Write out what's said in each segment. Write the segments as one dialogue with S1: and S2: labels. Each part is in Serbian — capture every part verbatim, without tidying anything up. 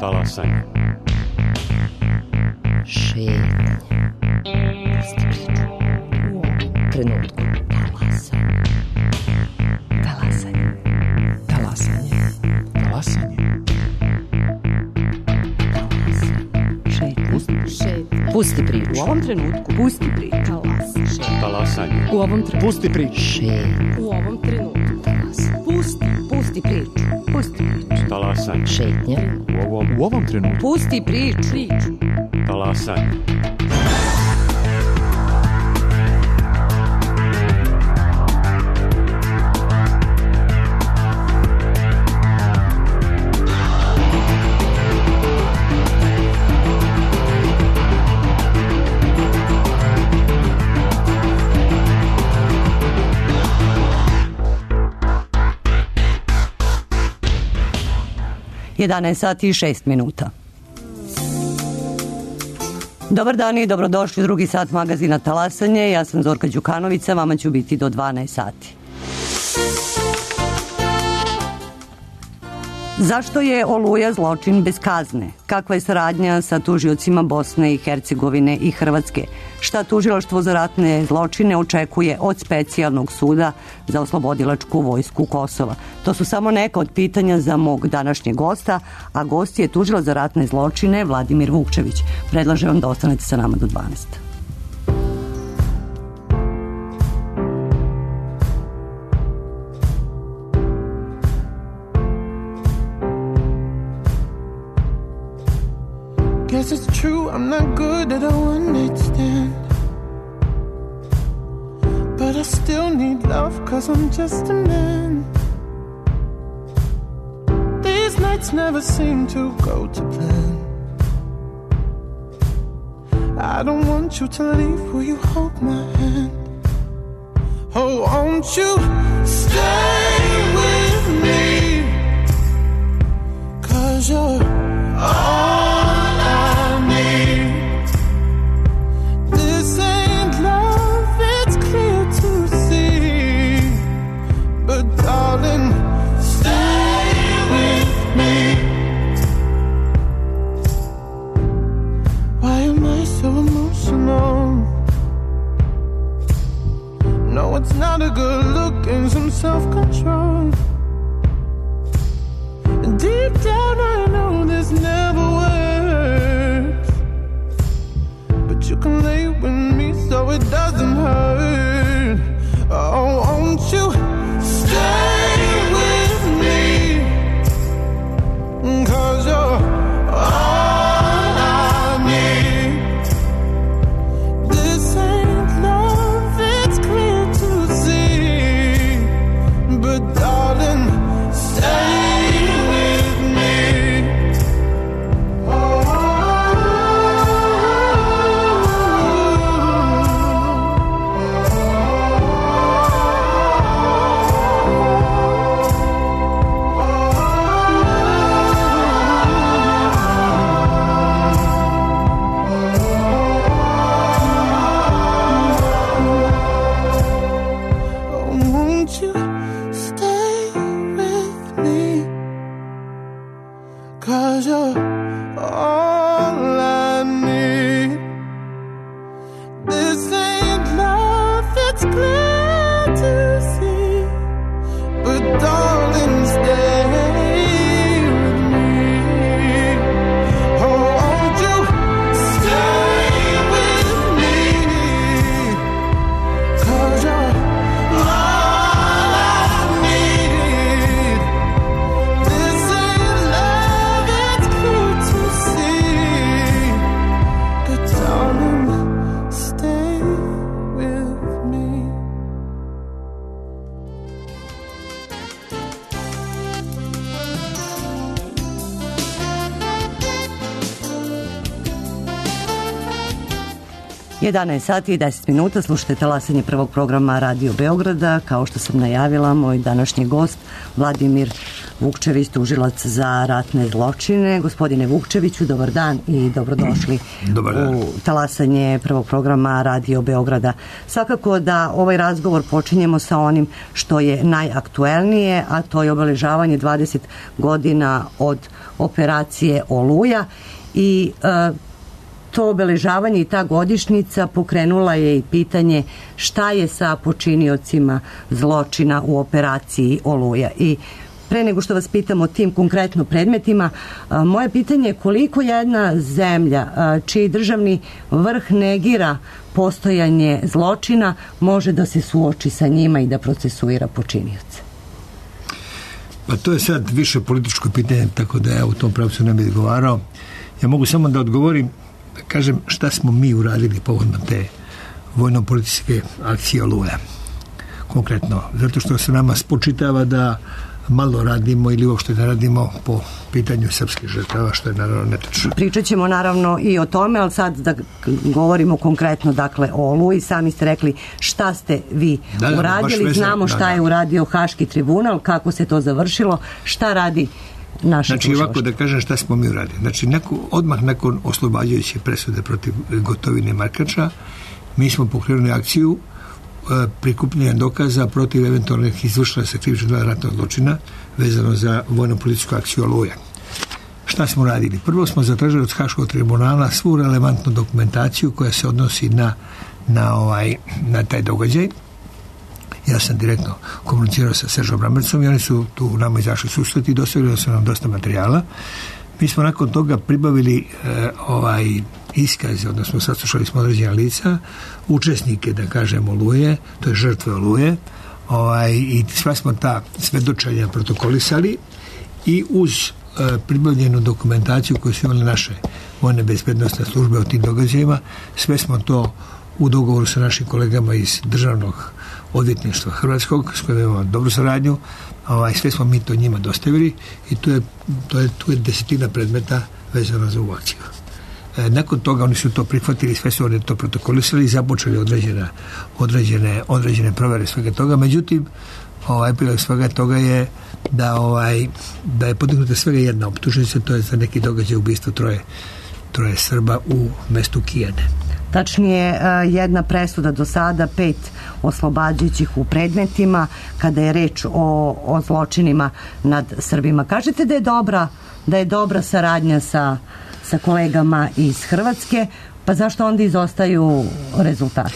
S1: Talasanje.
S2: Šetnje. Pusti priču. U ovom trenutku. Talasanje. Talasanje.
S3: Talasanje. Talasanje.
S2: Šetnje. Pusti priču.
S4: U ovom trenutku.
S2: Pusti priču.
S1: Talasanje.
S4: U ovom trenutku.
S3: Pusti priču.
S2: Šetnje.
S4: U ovom trenutku.
S2: Talasanje.
S4: Pusti. Pusti priču. Pusti priču.
S1: Talasanje.
S2: Šetnje.
S1: U ovom,
S3: U ovom trenutku.
S4: Pusti priču. Priču.
S1: talasanje.
S5: jedanaest sati i šest minuta. Dobar dan i dobrodošli u drugi sat magazina Talasanje. Ja sam Zorka Đukanovića, vama ću biti do dvanaest sati. Zašto je Oluja zločin bez kazne? Kakva je saradnja sa tužiocima Bosne i Hercegovine i Hrvatske? Šta tužilaštvo za ratne zločine očekuje od specijalnog suda za oslobodilačku vojsku Kosova? To su samo neka od pitanja za mog današnjeg gosta, a gost je tužilac za ratne zločine Vladimir Vukčević. Predlažem vam da ostanete sa nama do dvanaest.
S6: Guess it's true, I'm not good at a one-night stand, but I still need love, cause I'm just a man. These nights never seem to go to plan. I don't want you to leave, will you hold my hand? Oh, won't you stay with me, cause you're all darling, stay with me. Why am I so emotional? No, it's not a good look and some self-control. And deep down I know this never works, but you can lay with me so it doesn't hurt. Oh, won't you stay with me, cause you're all I need. This ain't love, it's clear to see, but darling, stay with me. Oh, all I
S5: jedanaest sati i deset minuta, slušate talasanje prvog programa Radio Beograda. Kao što sam najavila, moj današnji gost Vladimir Vukčević, tužilac za ratne zločine. Gospodine Vukčeviću, dobar dan i dobrodošli
S7: dobar dan.
S5: U talasanje prvog programa Radio Beograda. Svakako da ovaj razgovor počinjemo sa onim što je najaktuelnije, a to je obeležavanje dvadeset godina od operacije Oluja i e, to obeležavanje i ta godišnjica pokrenula je i pitanje šta je sa počiniocima zločina u operaciji Oluja. I pre nego što vas pitam o tim konkretno predmetima, moje pitanje je koliko jedna zemlja čiji državni vrh negira postojanje zločina može da se suoči sa njima i da procesuira počinioce?
S7: Pa to je sad više političko pitanje, tako da ja u tom pravcu ne bih odgovarao. Ja mogu samo da odgovorim, da kažem šta smo mi uradili povodom te vojno-političke akcije Oluja. Konkretno, zato što se nama spočitava da malo radimo ili uopšte ne radimo po pitanju srpskih žrtava, što je naravno netačno.
S5: Pričat ćemo naravno i o tome, ali sad da govorimo konkretno dakle o Oluji. Sami ste rekli šta ste vi da, da, uradili, znamo šta da, da. je uradio Haški tribunal, kako se to završilo, šta radi naše
S7: Znači
S5: tužilaštvo.
S7: Ovako da kažem šta smo mi uradili. Znači neko, odmah nakon oslobađajuće presude protiv Gotovine i Markača, mi smo pokrenuli akciju prikupljanja dokaza protiv eventualnih izvršila se krivičnog dela ratnog zločina vezano za vojno-političku akciju Oluja. Šta smo radili? Prvo smo zatražili od Haškog tribunala svu relevantnu dokumentaciju koja se odnosi na, na, ovaj, na taj događaj. Ja sam direktno komunicirao sa Seržom Brammercom i oni su tu nama izašli susret i dostavili su nam dosta materijala. Mi smo nakon toga pribavili e, ovaj iskaze, odnosno saslušali smo određena lica, učesnike, da kažem, Oluje, to je žrtve Oluje, ovaj, i sva smo ta svedočenja protokolisali i uz e, pribavljenu dokumentaciju koju su imali naše vojne bezbednostne službe o tim događajima, sve smo to u dogovoru sa našim kolegama iz državnog odvjetništva Hrvatskog, s kojim imamo dobru saradnju, ovaj, sve smo mi to njima dostavili i tu je, to je, tu je desetina predmeta vezano za ovu akciju. E, nakon toga oni su to prihvatili, sve su oni to protokolisali i započeli određene, određene, određene provere svega toga. Međutim, ovaj epilog svega toga je da, ovaj, da je podignuta svega jedna optužnica, to je za neki događaj ubistva troje, troje Srba u mestu Kijane.
S5: Tačnije, jedna presuda do sada, pet oslobađajućih u predmetima kada je reč o, o zločinima nad Srbima. Kažete da je dobra, da je dobra saradnja sa, sa kolegama iz Hrvatske, pa zašto onda izostaju rezultati?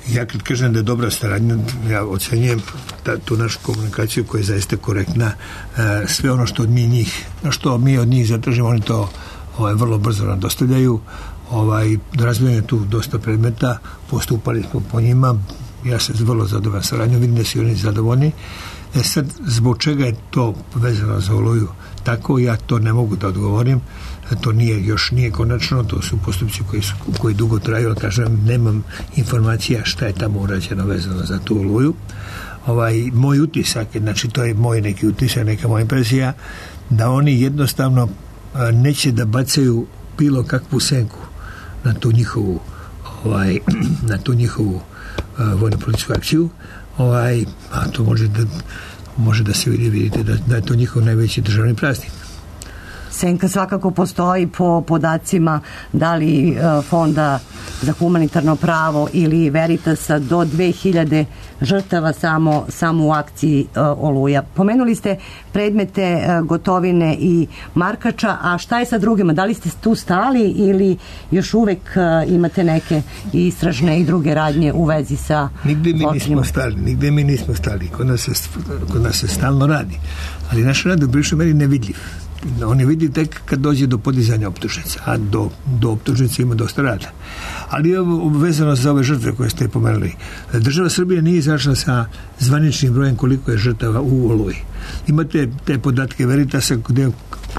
S7: Ja kad kažem da je dobra saradnja, ja ocenjujem ta, tu našu komunikaciju koja je zaista korektna. E, sve ono što od mi njih, što mi od njih zatražimo, oni to ovaj, vrlo brzo nam dostavljaju. Ovaj, razvijen je tu dosta predmeta, postupali smo po njima, ja sam vrlo zadovoljan saradnjom, vidim da su oni zadovoljni. E sad, zbog čega je to vezano za Oluju tako, ja to ne mogu da odgovorim, to nije, još nije konačno, to su postupci koji, su, koji dugo traju, ali kažem, nemam informacija šta je tamo urađeno vezano za tu Oluju. Ovaj, moj utisak, znači to je moj neki utisak, neka moja impresija, da oni jednostavno a, neće da bacaju bilo kakvu senku na tu njihovu ovaj, na tu njihovu uh, vojno-političku akciju, ovaj, a to može da, može da se vidi, vidite da, da je to njihov najveći državni praznik.
S5: Senka svakako postoji po podacima da li uh, Fonda za humanitarno pravo ili Veritasa do dve hiljade žrtava samo, samo u akciji uh, Oluja. Pomenuli ste predmete uh, Gotovine i Markača, a šta je sa drugima? Da li ste tu stali ili još uvek uh, imate neke istražne i druge radnje u vezi sa
S7: nigde mi nismo stali, nigde mi nismo stali. Kod nas se, kod nas se stalno radi. Ali naš rad u bližoj meri nevidljiv. On je vidi tek kad dođe do podizanja optužnica, a do, do optužnice ima dosta rada. Ali je vezano za ove žrtve koje ste pomenuli. Država Srbije nije izašla sa zvaničnim brojem koliko je žrtava u Oluji. Imate te podatke Veritasa, gde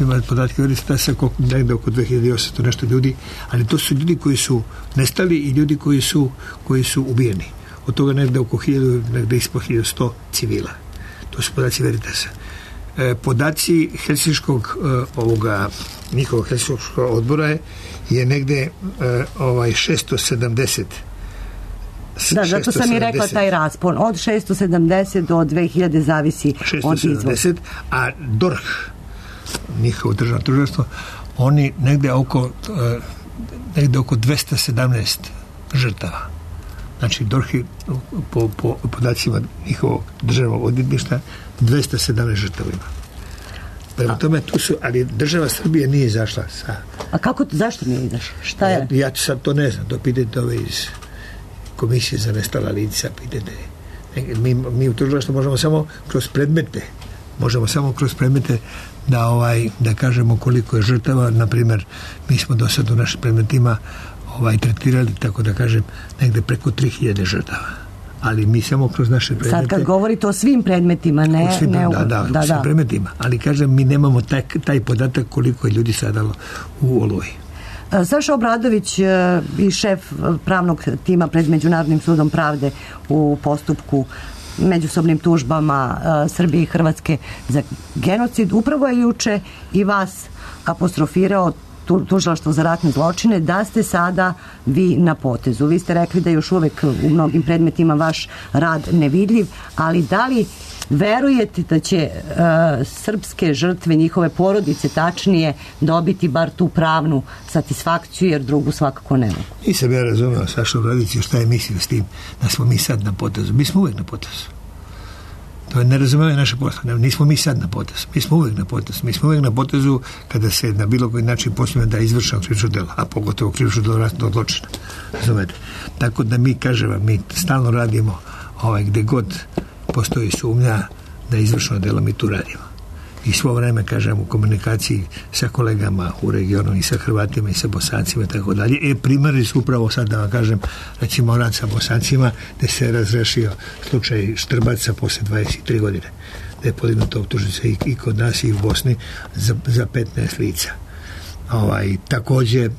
S7: imate podatke Veritasa koliko, negde oko dve hiljade osamsto nešto ljudi, ali to su ljudi koji su nestali i ljudi koji su, koji su ubijeni. Od toga negde oko hiljadu, negde ispod hiljadu sto civila. To su podaci Veritasa. E, podaci Helsinškog e, ovoga njihovog Helsinškog odbora je, je negde e, ovaj šesto sedamdeset
S5: Da, zato sam i rekla taj raspon. Od šesto sedamdeset do dve hiljade zavisi od izvoza.
S7: A D O R H, njihovo državno tužilaštvo, oni negde oko, negde oko dvesta sedamnaest žrtava. Znači, D O R H po, po podacima njihovog državnog odvjetništva dvesta sedamnaest žrtava ima. Prema tome, tu su, ali država Srbije nije izašla sa...
S5: A kako, zašto nije izašla? Šta je?
S7: Ja, ja sad to ne znam, to pitajte ove iz Komisije za nestala lica, pitajte. Mi, mi u tužilaštvu možemo samo kroz predmete, možemo samo kroz predmete da, ovaj, da kažemo koliko je žrtava. Na primjer, mi smo do sad u našim predmetima ovaj, tretirali, tako da kažem, negde preko tri hiljade žrtava. Ali mi samo kroz naše predmete...
S5: Sad kad govorite o svim predmetima, ne...
S7: Svim,
S5: ne
S7: da,
S5: u,
S7: da, da,
S5: da,
S7: svim
S5: da.
S7: predmetima. Ali kažem, mi nemamo taj, taj podatak koliko je ljudi sadalo u Oluji.
S5: Saša Obradović i šef pravnog tima pred Međunarodnim sudom pravde u postupku međusobnim tužbama Srbije i Hrvatske za genocid, upravo je juče i vas apostrofirao tužilaštvo za ratne zločine, da ste sada vi na potezu. Vi ste rekli da još uvek u mnogim predmetima vaš rad nevidljiv, ali da li verujete da će uh, srpske žrtve, njihove porodice tačnije, dobiti bar tu pravnu satisfakciju, jer drugu svakako ne mogu?
S7: Nisam ja razumeo Saša Obradović šta je mislio s tim da smo mi sad na potezu. Mi smo uvek na potezu. To je nerazumevanje naše posla. Nismo mi sad na potezu. Mi smo uvek na potezu. Mi smo uvek na potezu kada se na bilo koji način posljedno da je izvršeno krivično delo, a pogotovo krivično delo ratnog zločina. Razumete? Tako da mi, kažemo, mi stalno radimo ovaj, gde god postoji sumnja da je izvršeno delo, mi tu radimo. I svo vreme, kažem, u komunikaciji sa kolegama u regionu i sa Hrvatima i sa Bosancima i tako dalje. E, primjeri su upravo sad, da vam kažem, recimo rad sa Bosancima, gde se razrešio slučaj Štrbaca posle dvadeset tri godine, gde je podignuta optužnica i, i kod nas i u Bosni za, za petnaest lica. Ovaj, takođe,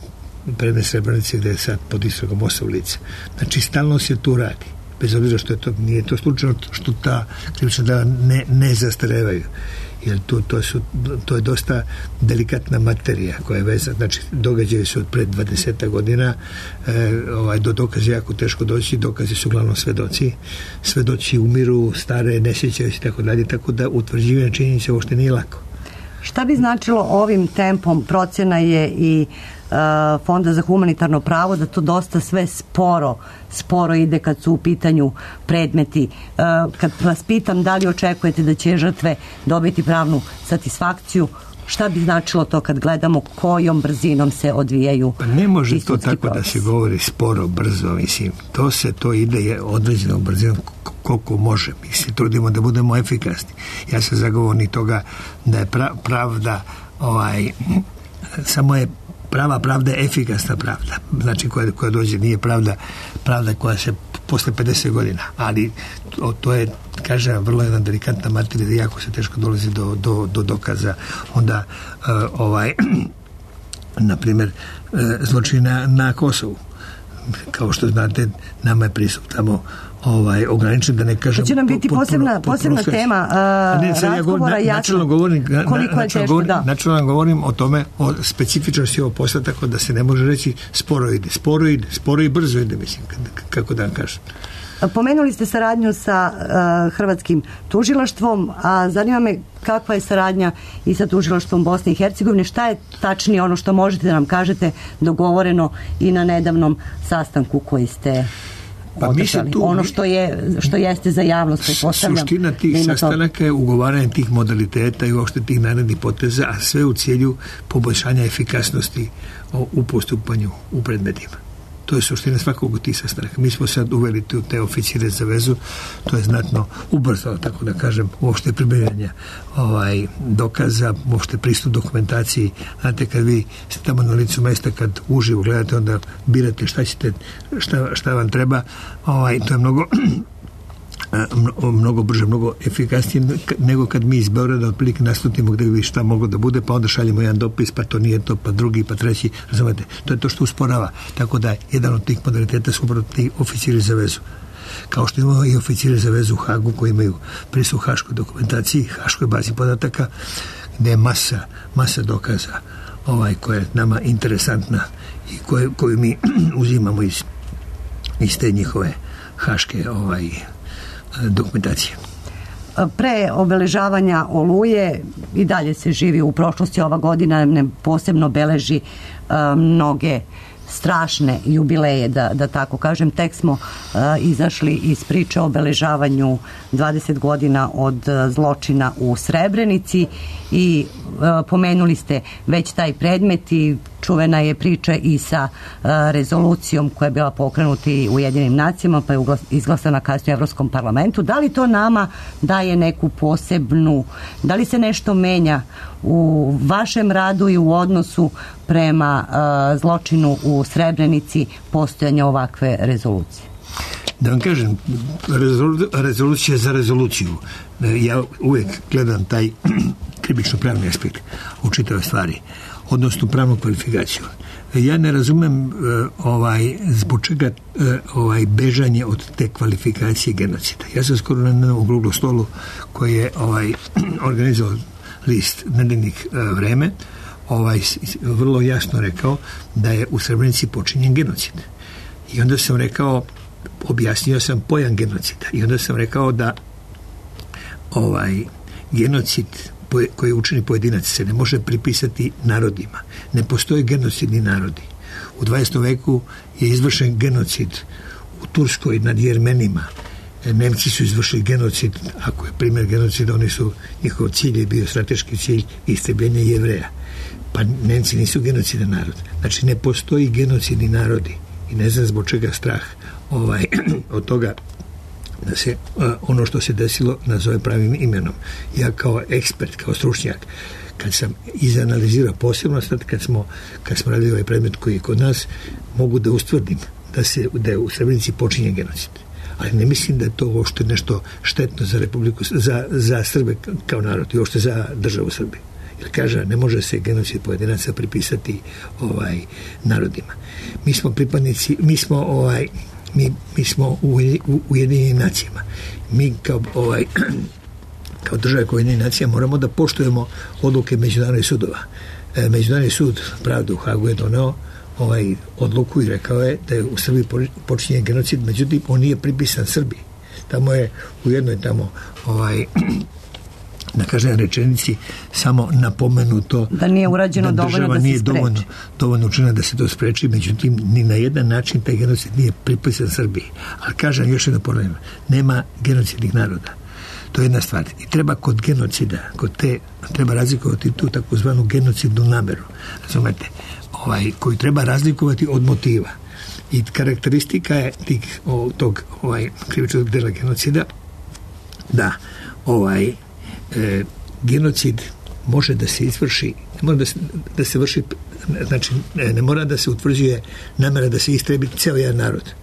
S7: predmet Srebrenice gde je sad pod istragom osam lica. Znači, stalno se tu radi. Bez obzira što je to, nije to slučajno što ta krivična dela ne, ne zastarevaju. Jer to, to, su, to je dosta delikatna materija koja je vezana, znači događaje su od pred dvadeset godina, e, ovaj, do dokaza jako teško doći, dokazi su uglavnom svedoci, svedoci umiru, stare, ne sjećaju se i tako dalje, tako da utvrđivanje činjenica uopšte nije lako.
S5: Šta bi značilo ovim tempom? Procjena je i uh, Fonda za humanitarno pravo da to dosta sve sporo sporo ide kad su u pitanju predmeti. Uh, kad vas pitam da li očekujete da će žrtve dobiti pravnu satisfakciju, šta bi značilo to kad gledamo kojom brzinom se odvijaju?
S7: Pa ne može to tako
S5: proces.
S7: Da se govori sporo, brzo, mislim. To se, to ide određenom brzinom koliko može. Mi se trudimo da budemo efikasni. Ja sam zagovornik toga da je pra, pravda ovaj, samo je prava pravda je efikasna pravda. Znači koja, koja dođe nije pravda pravda koja se posle pedeset godina. Ali to, to je, kažem, vrlo jedna delikatna materija da jako se teško dolazi do, do, do dokaza. Onda uh, ovaj na primjer uh, zločina na Kosovu. Kao što znate, nama je pristup tamo ovaj, ograničen, da ne kažem...
S5: To će nam biti posebna, posebna tema uh, ne, razgovora
S7: ja načelno govorim, na,
S5: koliko je teško,
S7: govorim,
S5: da.
S7: Načelno govorim o tome, o specifičnosti ovog posla, tako da se ne može reći sporo ide, sporo ide, sporo i brzo ide, mislim, kako da vam kažem.
S5: Pomenuli ste saradnju sa uh, hrvatskim tužilaštvom, a zanima me kakva je saradnja i sa tužilaštvom Bosne i Hercegovine, šta je tačnije ono što možete da nam kažete dogovoreno i na nedavnom sastanku koji ste
S7: pa
S5: održali,
S7: tu,
S5: ono što je što jeste za javnost, pretpostavljam.
S7: Suština tih sastanaka je ugovaranje tih modaliteta i uopšte tih narednih poteza, a sve u cilju poboljšanja efikasnosti u postupanju u predmetima. To je suština svakog od tih sastanaka. Mi smo sad uveli te oficire za vezu, to je znatno ubrzalo, tako da kažem, uopšte pribavljanja ovaj, dokaza, uopšte pristup dokumentaciji. Znate, kad vi ste tamo na licu mesta, kad uživo gledate, onda birate šta ćete, šta, šta vam treba, ovaj, to je mnogo mnogo brže, mnogo efikasnije nego kad mi iz Beograda otprilike nastupimo gde bi šta moglo da bude, pa onda šaljemo jedan dopis, pa to nije to, pa drugi, pa treći, razumete, to je to što usporava. Tako da jedan od tih modaliteta su upravo ti oficiri za vezu. Kao što imamo i oficiri za vezu u Hagu koji imaju pristup haškoj dokumentaciji, haškoj bazi podataka, gde je masa, masa dokaza ovaj, koja je nama interesantna i koje, koju mi uzimamo iz, iz te njihove haške ovaj, dokumentacije.
S5: Pre obeležavanja Oluje i dalje se živi u prošlosti. Ova godina ne posebno beleži uh, mnoge strašne jubileje, da, da tako kažem. Tek smo uh, izašli iz priče o obeležavanju dvadeset godina od uh, zločina u Srebrenici i uh, pomenuli ste već taj predmet i čuvena je priča i sa uh, rezolucijom koja je bila pokrenuta u Ujedinjenim nacijama pa je izglasana kasnije u Evropskom parlamentu. Da li to nama daje neku posebnu, da li se nešto menja u vašem radu i u odnosu prema uh, zločinu u Srebrenici postojanja ovakve rezolucije?
S7: Da vam kažem, rezolu, rezolucija za rezoluciju. Ja uvijek gledam taj krivično pravni aspekt u čitave stvari, odnosno pravnu kvalifikaciju. Ja ne razumem uh, ovaj, zbog čega uh, ovaj, bežanje od te kvalifikacije genocida. Ja sam skoro na jednom okruglom stolu koji je ovaj, organizovao list Nedeljnik uh, Vreme, ovaj, vrlo jasno rekao da je u Srebrenici počinjen genocid. I onda sam rekao, objasnio sam pojam genocida i onda sam rekao da ovaj genocid koji učini pojedinac se ne može pripisati narodima. Ne postoje genocidni narodi. U dvadesetom veku je izvršen genocid u Turskoj nad Jermenima. Nemci su izvršili genocid, ako je primjer genocida, oni su, njihov cilj je bio strateški cilj istrebljenja Jevreja. Pa Nemci nisu genocidan narod. Znači ne postoji genocidni narodi i ne znam zbog čega strah ovaj, od toga da se uh, ono što se desilo nazove pravim imenom. Ja kao ekspert, kao stručnjak, kad sam izanalizirao posebno sad kad smo, kad smo radili ovaj predmet koji je kod nas, mogu da ustvrdim da, se, da je u Srebrenici počinjen genocid. Ali ne mislim da je to uopšte nešto štetno za Republiku, za, za Srbe kao narod i uopšte za državu Srbije. Jer kaže, ne može se genocid pojedinaca pripisati ovaj, narodima. Mi smo pripadnici, mi smo ovaj, mi, mi smo u, u Ujedinjenim nacijama. Mi kao ovaj kao država koja Ujedinjenih nacija moramo da poštujemo odluke međunarodnih sudova. E, Međunarodni sud pravde u Hagu je doneo ovaj odluku i rekao je da je u Srbiji počinjen genocid, međutim on nije pripisan Srbiji. Tamo je u jednoj tamo ovaj na kažem rečenici samo napomenuto
S5: da nije urađeno
S7: da
S5: dovoljno da se
S7: nije
S5: spreči.
S7: dovoljno, dovoljno učinila da se to spreči, međutim ni na jedan način taj genocid nije pripisan Srbiji. Ali kažem još jedno ponavljam, nema genocidnih naroda. To je jedna stvar. I treba kod genocida, kod te, treba razlikovati tu takozvanu genocidnu nameru. Razumete? Ovaj, koju treba razlikovati od motiva. I karakteristika je tih, o, tog ovaj, krivičnog dela genocida da ovaj e, genocid može da se izvrši, ne mora da se, da se vrši, znači ne, ne mora da se utvrđuje namera da se istrebi ceo jedan narod,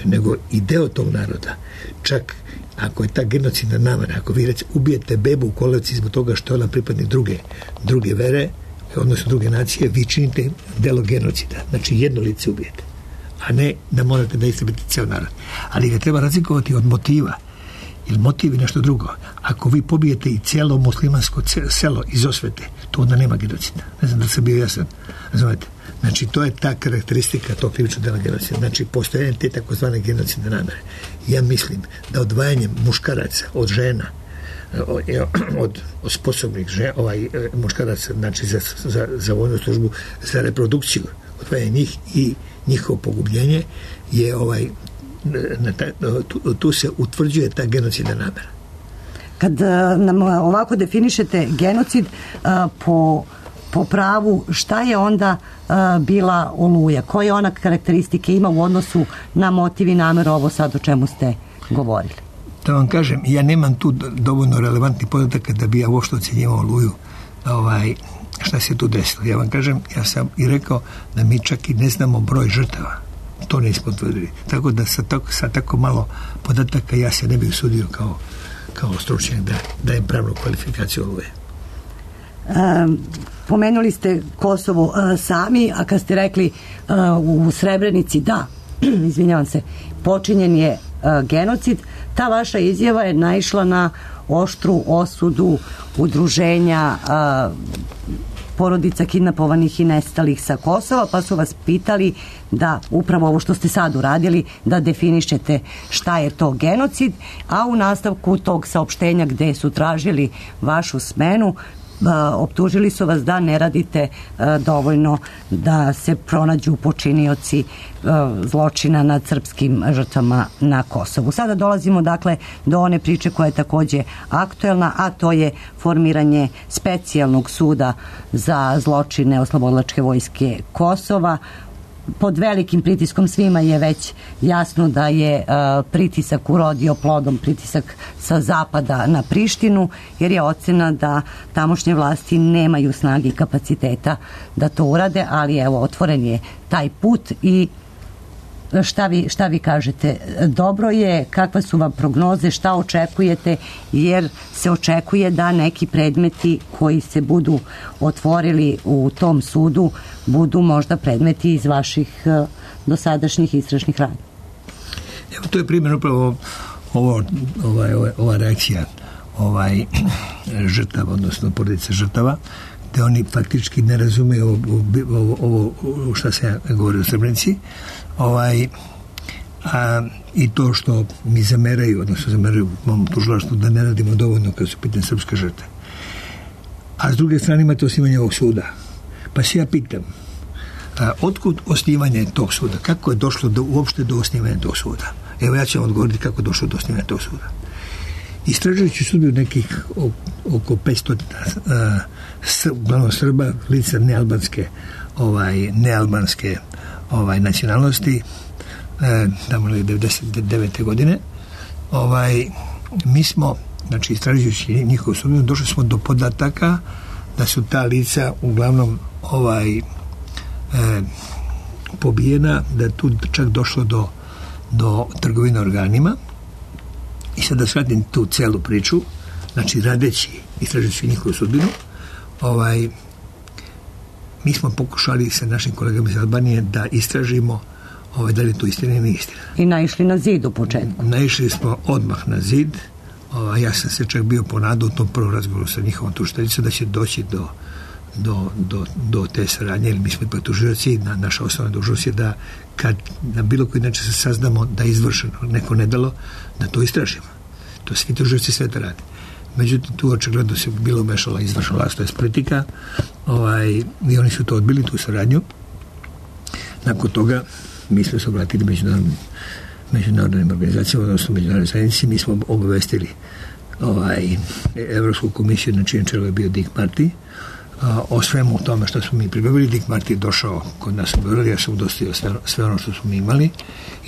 S7: nego i deo tog naroda. Čak ako je ta genocidna namera, ako vi recimo ubijete bebu u kolevci zbog toga što je ona pripadnik druge, druge vere, odnosno druge nacije, vi činite delo genocida. Znači jedno lice ubijete, a ne da morate da istrebite ceo narod. Ali ga treba razlikovati od motiva. Jer motiv je nešto drugo. Ako vi pobijete i cijelo muslimansko selo iz osvete, to onda nema genocida. Ne znam da sam bio jasan. Razumete? Znači, to je ta karakteristika tog krivičnog dela genocida. Znači, postojanje te takozvane genocidne namere. Ja mislim da odvajanjem muškaraca od žena, od, od, od sposobnih žena, ovaj, muškaraca, znači za, za, za vojnu službu, za reprodukciju, odvajanje njih i njihovo pogubljenje je ovaj Na ta, tu, tu se utvrđuje ta genocidna namera.
S5: Kad nam ovako definišete genocid po, po pravu, šta je onda bila Oluja? Koje ona karakteristike ima u odnosu na motiv i nameru, ovo sad o čemu ste govorili?
S7: Da vam kažem, ja nemam tu dovoljno relevantnih podataka da bi ja uopšte ocjenjivao Oluju, ovaj, šta se tu desilo. Ja vam kažem, ja sam i rekao da mi čak i ne znamo broj žrtava. To nismo potvrdili. Tako da sa tako, sa tako malo podataka ja se ne bih usudio kao, kao stručnjak da dajem pravnu kvalifikaciju Oluje.
S5: Um, pomenuli ste Kosovo uh, sami, a kad ste rekli uh, u Srebrenici da, izvinjavam se, počinjen je uh, genocid, ta vaša izjava je naišla na oštru osudu udruženja uh, porodica kidnapovanih i nestalih sa Kosova, pa su vas pitali da upravo ovo što ste sad uradili, da definišete šta je to genocid, a u nastavku tog saopštenja gde su tražili vašu smenu, optužili su vas da ne radite dovoljno da se pronađu počinioci zločina nad srpskim žrtvama na Kosovu. Sada dolazimo dakle do one priče koja je takođe aktuelna, a to je formiranje specijalnog suda za zločine oslobodilačke vojske Kosova. Pod velikim pritiskom svima je već jasno da je uh, pritisak urodio plodom, pritisak sa zapada na Prištinu, jer je ocena da tamošnje vlasti nemaju snage i kapaciteta da to urade, ali evo, otvoren je taj put i šta vi, šta vi kažete? Dobro je, kakve su vam prognoze, šta očekujete, jer se očekuje da neki predmeti koji se budu otvorili u tom sudu budu možda predmeti iz vaših uh, dosadašnjih istražnih radnji.
S7: Evo, to je primjer upravo ovo, ovaj, ova, ova reakcija ovaj, žrtava, odnosno porodice žrtava, gde oni faktički ne razumeju ovo, ovo, ovo šta se ja govori o Srebrenici, ovaj, a, i to što mi zameraju, odnosno zameraju mom tužilaštvu da ne radimo dovoljno kad su pitanje srpske žrtve. A s druge strane imate osnivanje ovog suda. Pa se ja pitam, a, otkud osnivanje tog suda? Kako je došlo do, uopšte do osnivanja tog suda? Evo ja ću vam odgovoriti kako je došlo do osnivanja tog suda. Istražujući sudbinu nekih oko petsto uglavnom Srba, lica nealbanske ovaj, nealbanske ovaj, nacionalnosti, e, tamo je devedeset devete godine, ovaj, mi smo, znači istražujući njihovu sudbinu, došli smo do podataka da su ta lica uglavnom ovaj, e, pobijena, da je tu čak došlo do, do trgovine organima. I sad da shvatim tu celu priču, znači radeći, istražujući njihovu sudbinu, ovaj, mi smo pokušali sa našim kolegama iz Albanije da istražimo ovaj, da li je to istina ili nije istina.
S5: I naišli na zid u početku.
S7: Naišli smo odmah na zid. Ovaj, ja sam se čak bio ponadao u tom prvom razgovoru sa njihovom tužiteljicom da će doći do, do, do, do te saradnje, jer mi smo ipak tužioci, na, naša osnovna dužnost je da kad na bilo koji način se saznamo da je izvršeno neko nedelo, da to istražimo. To svi tužioci sveta rade. Međutim, tu očigledno se bilo mešala izvršna vlast, to je politika, ovaj, i oni su to odbili, tu saradnju. Nakon toga mi smo se obratili međunarodnim, međunarodnim organizacijama, odnosno međunarodnim zajednici, mi smo obavestili ovaj, Evropsku komisiju, na čijem čelu je bio Dick Marty, a, o svemu tome što smo mi pribavili. Dick Marty je došao kod nas u Beograd, ja sam dostavio sve, sve ono što smo mi imali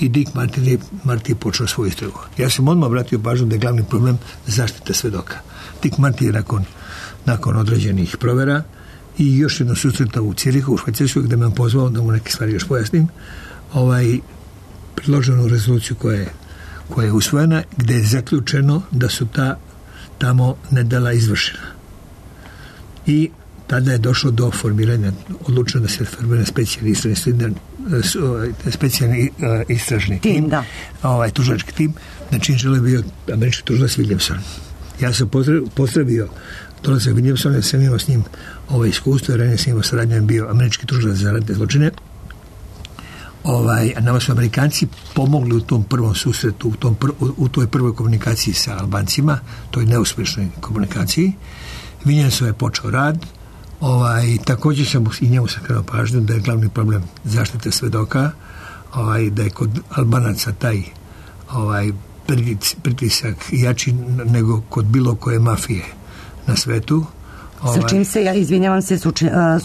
S7: i Dick Marty je, Marty je počeo svoju istragu. Ja sam odmah obratio pažnju da je glavni problem zaštita svedoka. Dick Marty je nakon, nakon određenih provera i još jedno susreta u Cirihu, u Švajcarskoj, gde me on pozvao da mu neke stvari još pojasnim, ovaj, predloženu rezoluciju koja je, koja je usvojena, gde je zaključeno da su ta tamo nedela izvršena. I tada je došlo do formiranja, odlučeno da se formira specijalni istražni, specijalni istražni tim, tim
S5: da.
S7: ovaj, tužilački tim, na čim čelu je bio američki tužilac Williamson. Ja sam pozdravio, pozdravio dolazak Williamsona, ja sam imao s njim ovo iskustvo, jer ranije sam imao saradnju, bio američki tužilac za ratne zločine. Ovaj, a nama su Amerikanci pomogli u tom prvom susretu, u, tom pr, u, u toj prvoj komunikaciji sa Albancima, toj neuspešnoj komunikaciji. Williamson je počeo rad. Ovaj, također sam i njemu sam krenuo pažnju da je glavni problem zaštite svedoka, ovaj, da je kod Albanaca taj ovaj, pritisak jači nego kod bilo koje mafije na svetu.
S5: Sa čim se, ja izvinjavam se,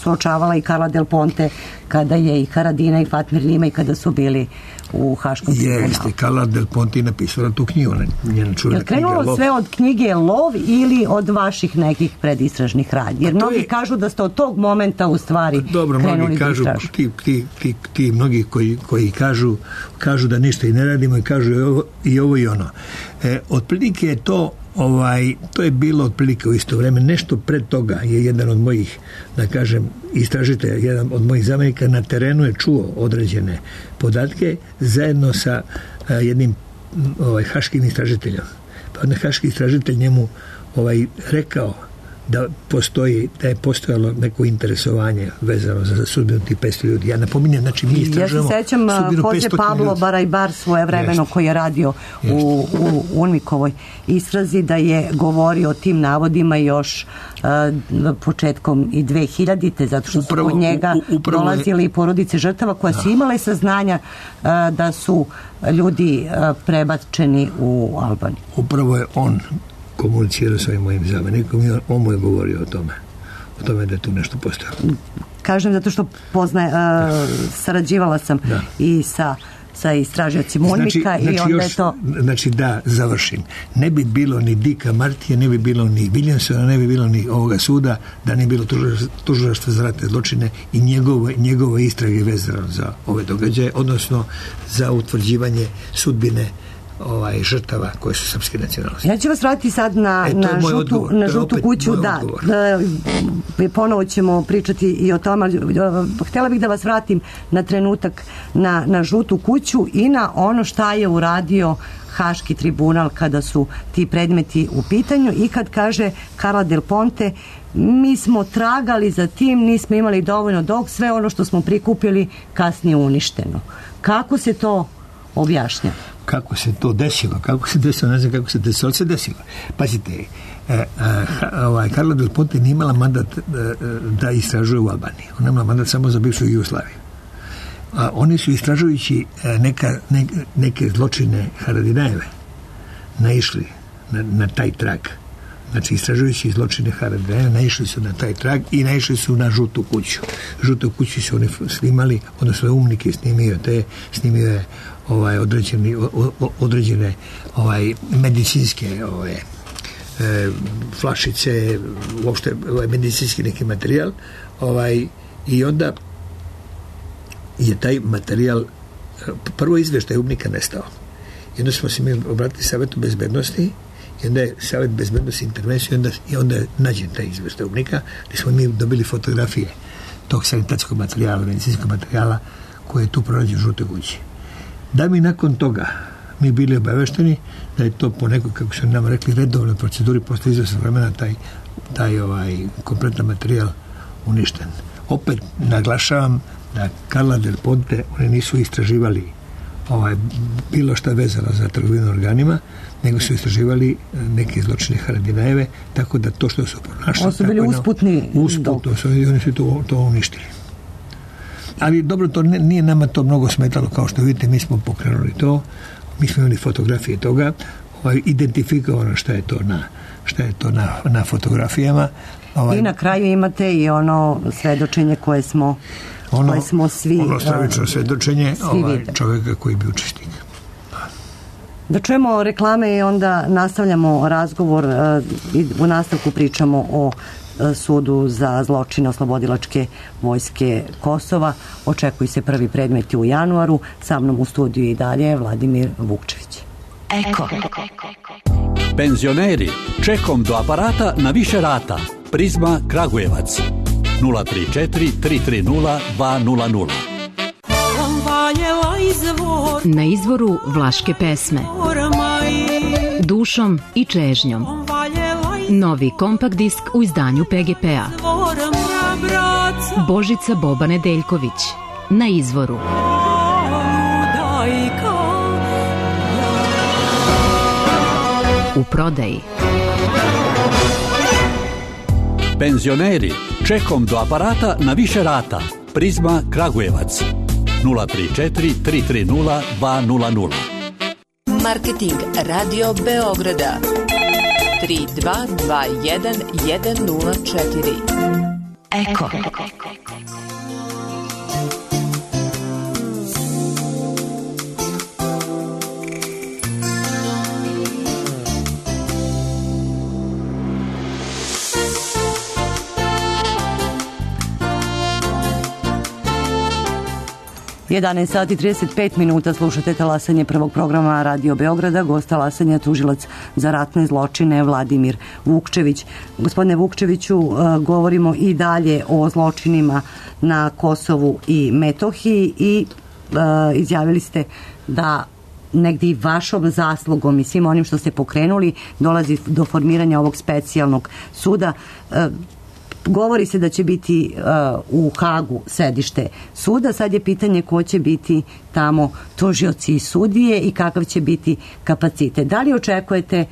S5: suočavala i Carla Del Ponte kada je i Haradina i Fatmir Lima i kada su bili u Haškom tribunalu.
S7: Jeste, Carla Del Ponte je napisala tu knjigu, njena čuvena knjiga.
S5: Je krenulo sve od knjige Lov ili od vaših nekih predistražnih radnji? Jer mnogi je, kažu da ste od tog momenta u stvari dobro, krenuli
S7: kažu,
S5: da istražu.
S7: Ti, ti, ti, ti mnogi koji, koji kažu, kažu da ništa i ne radimo i kažu i ovo i, ovo i ono. E, otprilike je to Ovaj, to je bilo otprilike u isto vreme. Nešto pred toga je jedan od mojih, da kažem, istražitelja, jedan od mojih zamjenika na terenu je čuo određene podatke zajedno sa a, jednim ovaj, haškim istražiteljom. Pa onda haški istražitelj njemu ovaj, rekao da postoji, da je postojalo neko interesovanje vezano za sudbinu tih petsto ljudi. Ja napominjem, znači mi istražujemo
S5: ja se sećam Jose Pablo Barajbar svoje vremeno
S7: Jest.
S5: koji je radio u, u Unmikovoj istrazi, da je govorio o tim navodima još uh, početkom i dve hiljadite zato što upravo, su kod njega u, dolazili je... porodice žrtava koja da. su imale saznanja uh, da su ljudi uh, prebačeni u Albaniju.
S7: Upravo je on komunicirao sa ovim mojim zamenikom i on, on mu je govorio o tome. O tome da je tu nešto postojalo.
S5: Kažem zato što poznaje, uh, sarađivala sam da. i sa sa istražiocima Unmika znači,
S7: znači
S5: i onda
S7: još,
S5: je to...
S7: Znači da, završim. Ne bi bilo ni Dicka Martija, ne bi bilo ni Williamsona, ne bi bilo ni ovoga suda, da ne bi bilo tužilaštva za ratne zločine i njegove, njegove istrage vezano za ove događaje, odnosno za utvrđivanje sudbine ovaj žrtava koje su srpske nacionalnosti.
S5: Ja ću vas vratiti sad na, e, na žutu, odgovor. na žutu kuću. Da, da, ponovo ćemo pričati i o tome. Htjela bih da vas vratim na trenutak na, na žutu kuću i na ono šta je uradio Haški tribunal kada su ti predmeti u pitanju i kad kaže Carla Del Ponte, mi smo tragali za tim, nismo imali dovoljno dok sve ono što smo prikupili kasnije uništeno. Kako se to objašnja?
S7: Kako se to desilo, kako se desilo, ne znam kako se desilo, ali se desilo. Pazite, e, e, ovaj, Carla Del Ponte nije imala mandat e, da istražuje u Albaniji. Ona imala mandat samo za bivšu Jugoslaviju. A oni su istražujući neka, ne, neke zločine Haradinajeve naišli na, na taj trag. Znači, istražujući zločine Haradinajeve naišli su na taj trag i naišli su na žutu kuću. Žutu kuću su oni snimali, odnosno Umnik je snimio te, snimio je ovaj određeni o, o, određene ovaj medicinske ove e, flašice, uopšte ovaj medicinski neki materijal, ovaj i onda je taj materijal prvo izveštaj Umnika nestao. I onda smo se mi obratili Savetu bezbednosti i onda je Savet bezbednosti intervenciju i onda, i onda je nađen taj izveštaj Umnika gdje smo mi dobili fotografije tog sanitetskog materijala, medicinskog materijala koji je tu pronađen u žutoj kući. Da mi nakon toga mi bili obavešteni da je to po nekoj, kako su nam rekli, redovnoj proceduri posle izvesnog vremena taj, taj ovaj kompletan materijal uništen. Opet naglašavam da Carla Del Ponte oni nisu istraživali ovaj, bilo šta vezano za trgovinu organima, nego su istraživali neke zločine Haradinajeve, tako da to što su pronašli...
S5: Ovo su bili usputni...
S7: Usputno su, oni su to, to uništili. Ali dobro, to nije nama to mnogo smetalo, kao što vidite, mi smo pokrenuli to, mi smo imali fotografije toga, ovaj, identifikovano šta je to na, šta je to na, na fotografijama. Ovaj,
S5: I na kraju imate i ono svedočenje koje smo,
S7: ono,
S5: koje smo svi...
S7: Ono stravično svedočenje ovaj, čovjeka koji bi učesnik.
S5: Da čujemo reklame i onda nastavljamo razgovor i u nastavku pričamo o sudu za zločine oslobodilačke vojske Kosova. Očekuju se prvi predmeti u januaru. Sa mnom u studiju i dalje Vladimir Vukčević.
S2: Eko.
S8: Penzioneri, čekom do aparata na više rata. Prizma Kragujevac. nula tri četiri tri tri nula dva nula nula.
S9: Na izvoru vlaške pesme. Dušom i čežnjom. Novi kompakt disk u izdanju P G P-a. Božica Boba Nedeljković. Na izvoru. U prodaji.
S8: Penzioneri, čekom do aparata na više rata. Prizma Kragujevac. nula tri četiri tri tri nula dva nula nula.
S10: Marketing Radio Beograda tri dva dva jedan jedan nula četiri.
S2: Eko.
S5: jedanaest sati i trideset pet minuta, slušate talasanje prvog programa Radio Beograda. Gost talasanja tužilac za ratne zločine Vladimir Vukčević. Gospodine Vukčeviću, govorimo i dalje o zločinima na Kosovu i Metohiji i izjavili ste da negdje i vašom zaslugom i svim onim što ste pokrenuli dolazi do formiranja ovog specijalnog suda. E, govori se da će biti e, u Hagu sedište suda, sad je pitanje ko će biti tamo tužioci i sudije i kakav će biti kapacitet. Da li očekujete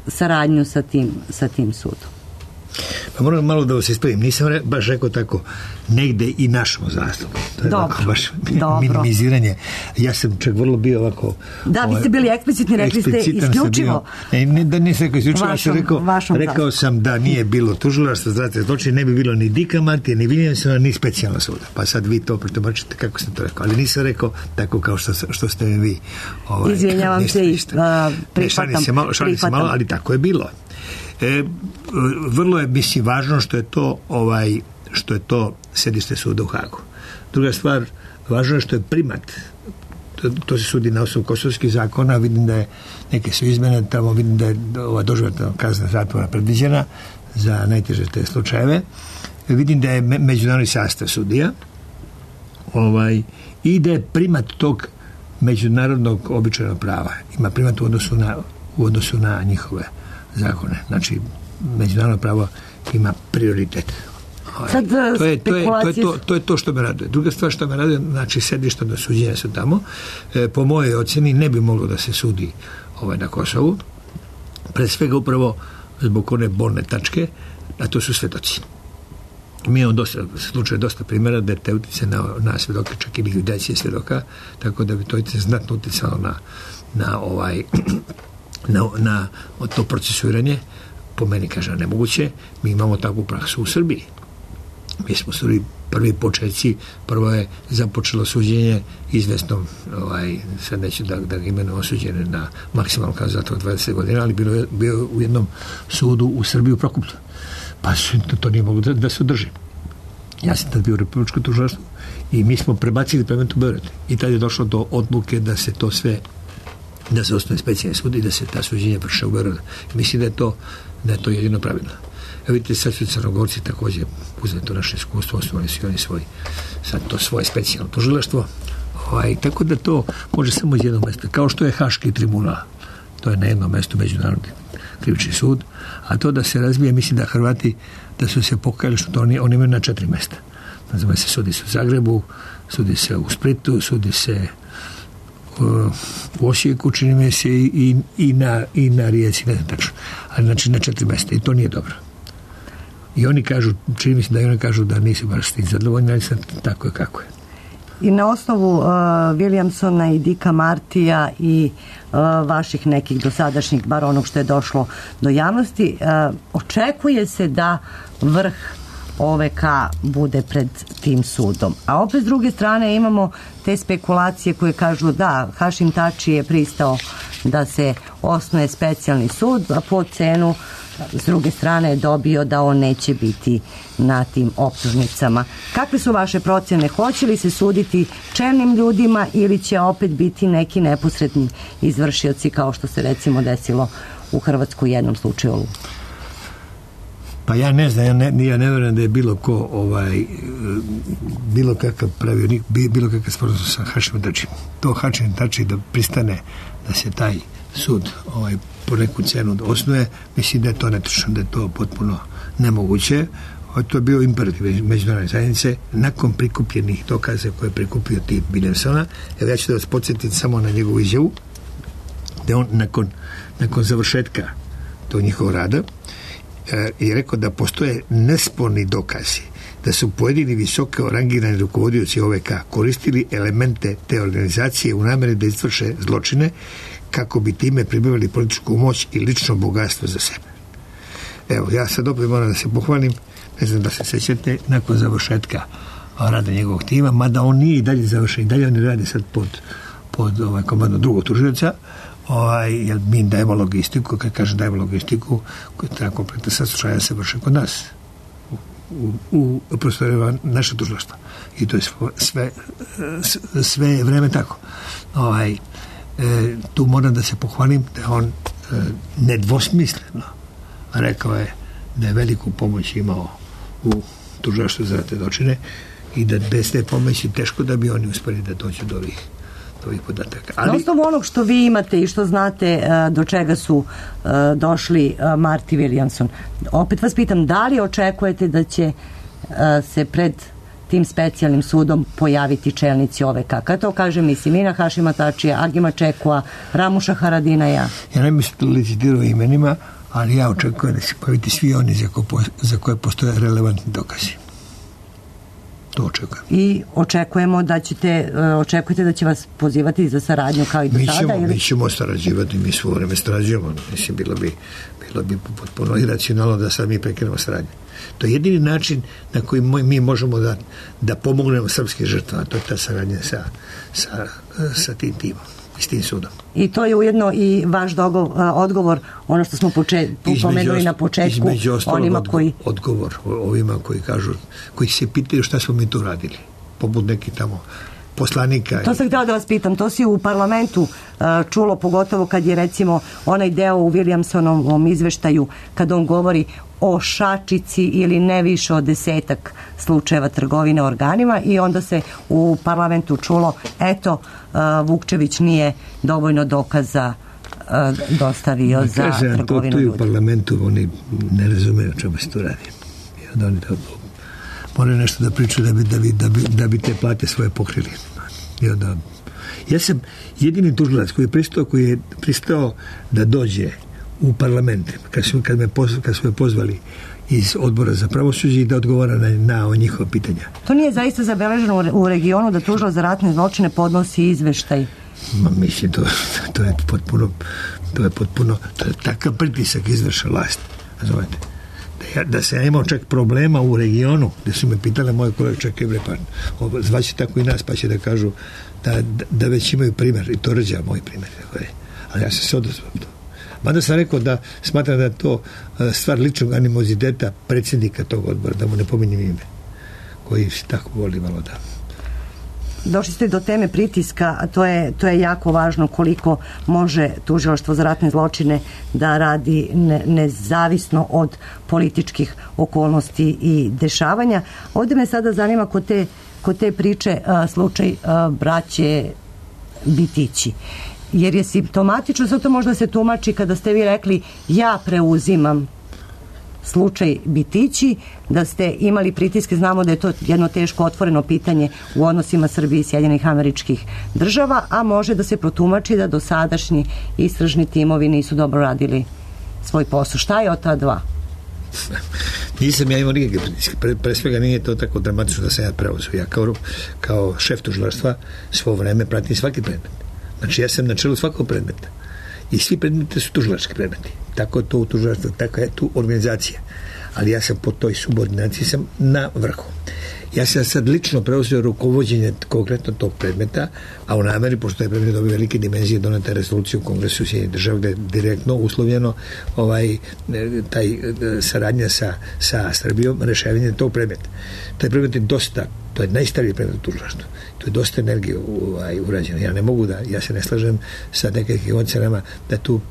S5: saradnju sa tim, sa tim sudom?
S7: Pa moram malo da vas ispravim, nisam re, baš rekao tako negde i našom zaslugom. To je
S5: dobro,
S7: baš
S5: dobro.
S7: minimiziranje. Ja sam čak vrlo bio ovako...
S5: Da, vi ste bili eksplicitni, rekli ste isključivo.
S7: Ne, ne, da nisam rekao isključivo,
S5: vašom,
S7: sam rekao, rekao sam da nije bilo tužilaštva za ratne zločine, ne bi bilo ni Dika Martija, ni Williamsona, ni specijalna suda. Pa sad vi to pretumačite kako sam to rekao. Ali nisam rekao tako kao što, što ste mi vi. Ovaj,
S5: Izvinjavam
S7: ništa,
S5: se i uh,
S7: prihvatam. Ne, se malo, šalim se malo, ali tako je bilo. E, vrlo je, mislim, važno što je to ovaj, što je to sedište suda u Hagu. Druga stvar, važno je što je primat, to, to se sudi na osnovu kosovskih zakona, vidim da je neke su izmene tamo, vidim da je ova doživotna kazna zatvora predviđena za najteže te slučajeve, vidim da je me, međunarodni sastav sudija ovaj, i da je primat tog međunarodnog običajnog prava, ima primat u odnosu na, u odnosu na njihove zakone. Znači, međunarodno pravo ima prioritet.
S5: Sad,
S7: to, je, to, je, to, je to, to je to što me raduje. Druga stvar što me raduje, znači sedišta do suđenja su tamo. E, po mojoj oceni ne bi moglo da se sudi ovaj, na Kosovu. Pre svega upravo zbog one bolne tačke, a to su svedoci. Mi imamo dosta, slučaj dosta primjera da te utice na, na svedoke, čak i likvidacije svedoka, tako da bi to znatno uticalo na, na ovaj na, na to procesuiranje. Po meni, kažem, nemoguće. Mi imamo takvu praksu u Srbiji. Mi smo stvari prvi početci, prvo je započelo suđenje izvesnom, ovaj, sad neću da, da ga imenujem, osuđene na maksimalnu kaznu zatvora dvadeset godina, ali bilo je bio u jednom sudu u Srbiji u Prokuplju. Pa to, to nije moglo da, da se održi. Ja sam tad bio u Republičkom tužilaštvu i mi smo prebacili predmet u Beograd. I tad je došlo do odluke da se to sve, da se osnuje specijalni sud i da se ta suđenja vrše u Beogradu. Mislim da je to, da je to jedino pravilno. Evo vidite, sad su Crnogorci također uzeli to naše iskustvo, osnovali su oni svoj, sad to svoje specijalno tužilaštvo. Ovaj, tako da to može samo iz jednog mjesta. Kao što je Haški tribunal. To je na jednom mjestu Međunarodni krivični sud. A to da se razvije, mislim da Hrvati da su se pokajali što to oni, oni imaju na četiri mjesta. Nazvamo se, sudi se u Zagrebu, sudi se u Splitu, sudi se u, u Osijeku, čini mi se i, i, na, i na Rijeci, ne znam tačno. Ali znači na četiri mjesta i to nije dobro. I oni kažu, čini mi se da i oni kažu da nisu baš s tim zadovoljni, ali sad tako je kako je.
S5: I na osnovu uh, Williamsona i Dika Martija i uh, vaših nekih dosadašnjih, bar onog što je došlo do javnosti, uh, očekuje se da vrh O V K bude pred tim sudom. A opet s druge strane imamo te spekulacije koje kažu da Hašim Tači je pristao da se osnuje specijalni sud, a po cenu s druge strane je dobio da on neće biti na tim optužnicama. Kakve su vaše procjene? Hoće li se suditi čelnim ljudima ili će opet biti neki neposredni izvršioci kao što se recimo desilo u Hrvatskoj u jednom slučaju?
S7: Pa ja ne znam, ja ne, ja ne vjerujem da je bilo ko ovaj, bilo kakav pravio, bilo kakav sporazum sa Hašimom Tačijem. To Hašim Tači da pristane da se taj sud ovaj, po neku cenu osnuje, mislim da je to netočno, da je to potpuno nemoguće. To je bio imperativ međunarodne zajednice nakon prikupljenih dokaza koje je prikupio tip Williamsona. Evo ja ću da vas podsjetiti samo na njegovu izjavu da on nakon, nakon završetka tog njihovog rada je rekao da postoje nesporni dokazi da su pojedini visoko rangirani rukovodioci O V K koristili elemente te organizacije u namjeri da izvrše zločine kako bi time pribavili političku moć i lično bogatstvo za sebe. Evo, ja sad opet moram da se pohvalim, ne znam da se sećate, nakon završetka rada njegovog tima, mada on nije i dalje završen, i dalje oni radi sad pod, pod ovaj, komandom drugog tužioca, ovaj, jer mi dajemo logistiku, kad kažem dajemo logistiku, koja treba kompletna saslušanja se vrše kod nas u, u, u prostorima naše tužilaštva. I to je sve, sve vreme tako. Ovaj, e, tu moram da se pohvalim da on e, nedvosmisleno rekao je da je veliku pomoć imao u tužilaštvu za ratne zločine i da bez te pomoći teško da bi oni uspeli da dođu do ovih, ovih podataka. Ali,
S5: na osnovu onog što vi imate i što znate do čega su došli Marti i Williamson, opet vas pitam, da li očekujete da će se pred tim specijalnim sudom pojaviti čelnici O V K? Kada to kaže, mislim, Ina Hašima Tačija, Agima Čekua, Ramuša Haradinaja.
S7: Ja ne mislim da licitirao imenima, ali ja očekujem da se pojaviti svi oni za, ko, za koje postoje relevantni dokazi. To očekujem.
S5: I očekujemo da ćete, očekujete da će vas pozivati za saradnju kao i do
S7: mi
S5: sada?
S7: Ćemo,
S5: ili?
S7: Mi ćemo sarađivati, mi svo vreme sarađujemo. Mislim, bilo bi, bilo bi potpuno iracionalno da sad mi prekinemo saradnju. To je jedini način na koji mi možemo da, da pomognemo srpske žrtve, a to je ta saradnja sa, sa, sa tim timom i s tim sudom.
S5: I to je ujedno i vaš dogovor, odgovor, ono što smo poče, pomenuli na početku, onima koji...
S7: Odgovor ovima koji kažu, koji se pitaju šta smo mi tu radili, poput neki tamo poslanika.
S5: To sam htjela da vas pitam, to si u parlamentu uh, čulo, pogotovo kad je recimo onaj deo u Williamsonovom izveštaju, kad on govori o šačici ili ne više od desetak slučajeva trgovine organima, i onda se u parlamentu čulo, eto, uh, Vukčević nije dovoljno dokaza uh, dostavio
S7: Ma,
S5: za
S7: kažem,
S5: trgovinu
S7: to, to
S5: ljudi.
S7: U parlamentu oni ne razumeju o čemu se tu radi. I onda oni to moraju nešto da pričaju da bi, da bi, da bi, da bi te plate svoje pokrili. I onda, ja sam jedini tužilac koji je pristao, koji je pristao da dođe u parlament, kad su, kad me poz, kad su me pozvali iz odbora za pravosuđe i da odgovara na, na njihova pitanja.
S5: To nije zaista zabeleženo u regionu da tužilac za ratne zločine podnosi izveštaj?
S7: Ma, mislim, to, to je potpuno to je potpuno, to je takav pritisak izvrša vlast. Razumete? Da, ja, da se ja imao čak problema u regionu, gde su me pitale moje kolege, čekaj bre, pa zvaće tako i nas, pa će da kažu da, da, da već imaju primjer, i to Rđa moj primjer. Ali ja sam se odazvao to. Mada sam rekao da smatram da je to stvar ličnog animoziteta predsjednika tog odbora, da mu ne pominjem ime, koji se tako voli malo da...
S5: Došli ste do teme pritiska, a to je, to je jako važno, koliko može tužilaštvo za ratne zločine da radi ne, nezavisno od političkih okolnosti i dešavanja. Ovdje me sada zanima kod te, kod te priče a, slučaj a, braće Bitići. Jer je simptomatično, sad to možda se tumači kada ste vi rekli ja preuzimam slučaj Bitići, da ste imali pritiske, znamo da je to jedno teško otvoreno pitanje u odnosima Srbije i Sjedinjenih Američkih Država, a može da se protumači da dosadašnji istražni timovi nisu dobro radili svoj posao. Šta je od ta dva?
S7: Nisam ja imao nikakve pritiske. Pre, pre svega nije to tako dramatično da sam ja preuzeo. Ja kao, kao šef tužilaštva svo vreme pratim svaki predmet. Znači ja sam na čelu svakog predmeta. I svi predmeti su tužilački predmeti. Tako je to u tužilaštvu, tako je tu organizacija. Ali ja sam po toj subordinaciji sam na vrhu. Ja sam sad lično preuzeo rukovođenje konkretno tog predmeta, a u nameri, pošto je predmet dobio velike dimenzije, doneta rezoluciju u Kongresu Sjedinjenih Država gde je direktno uslovljeno ovaj, taj saradnja sa, sa Srbijom, rešavanje tog predmeta. Taj predmet je dosta, to je najstariji predmet u tužilaštvu. To je dosta energije ovaj, urađeno. Ja ne mogu da, ja se ne slažem sa nekakvim ocenama da tu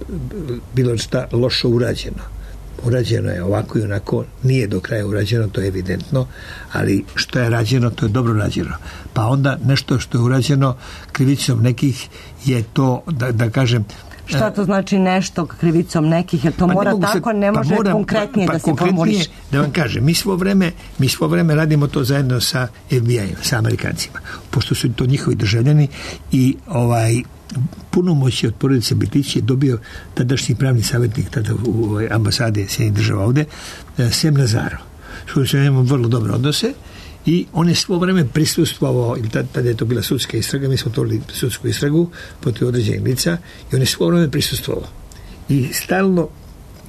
S7: bilo šta lošo urađeno. Urađeno je ovako i onako, nije do kraja urađeno, to je evidentno, ali što je rađeno, to je dobro rađeno. Pa onda nešto što je urađeno krivicom nekih je to, da, da kažem...
S5: Šta to znači nešto krivicom nekih? Jer to
S7: pa
S5: mora
S7: ne
S5: tako,
S7: se,
S5: ne može
S7: pa moram,
S5: konkretnije
S7: pa, pa
S5: da se formuliše.
S7: Da vam kažem, mi svo vreme, mi svo vreme radimo to zajedno sa F B I-om, sa Amerikancima, pošto su to njihovi državljani i ovaj punomoći od porodice Bitići je dobio tadašnji pravni savjetnik tada u ambasade Sjedinjenih Država ovde, Sem Nazaro, s kojim se imamo vrlo dobre odnose, i on je svo vreme prisustvovao, ili tada je to bila sudska istraga, mi smo otvorili sudsku istragu protiv određenih lica, i on je svo vreme prisustvovao. I stalno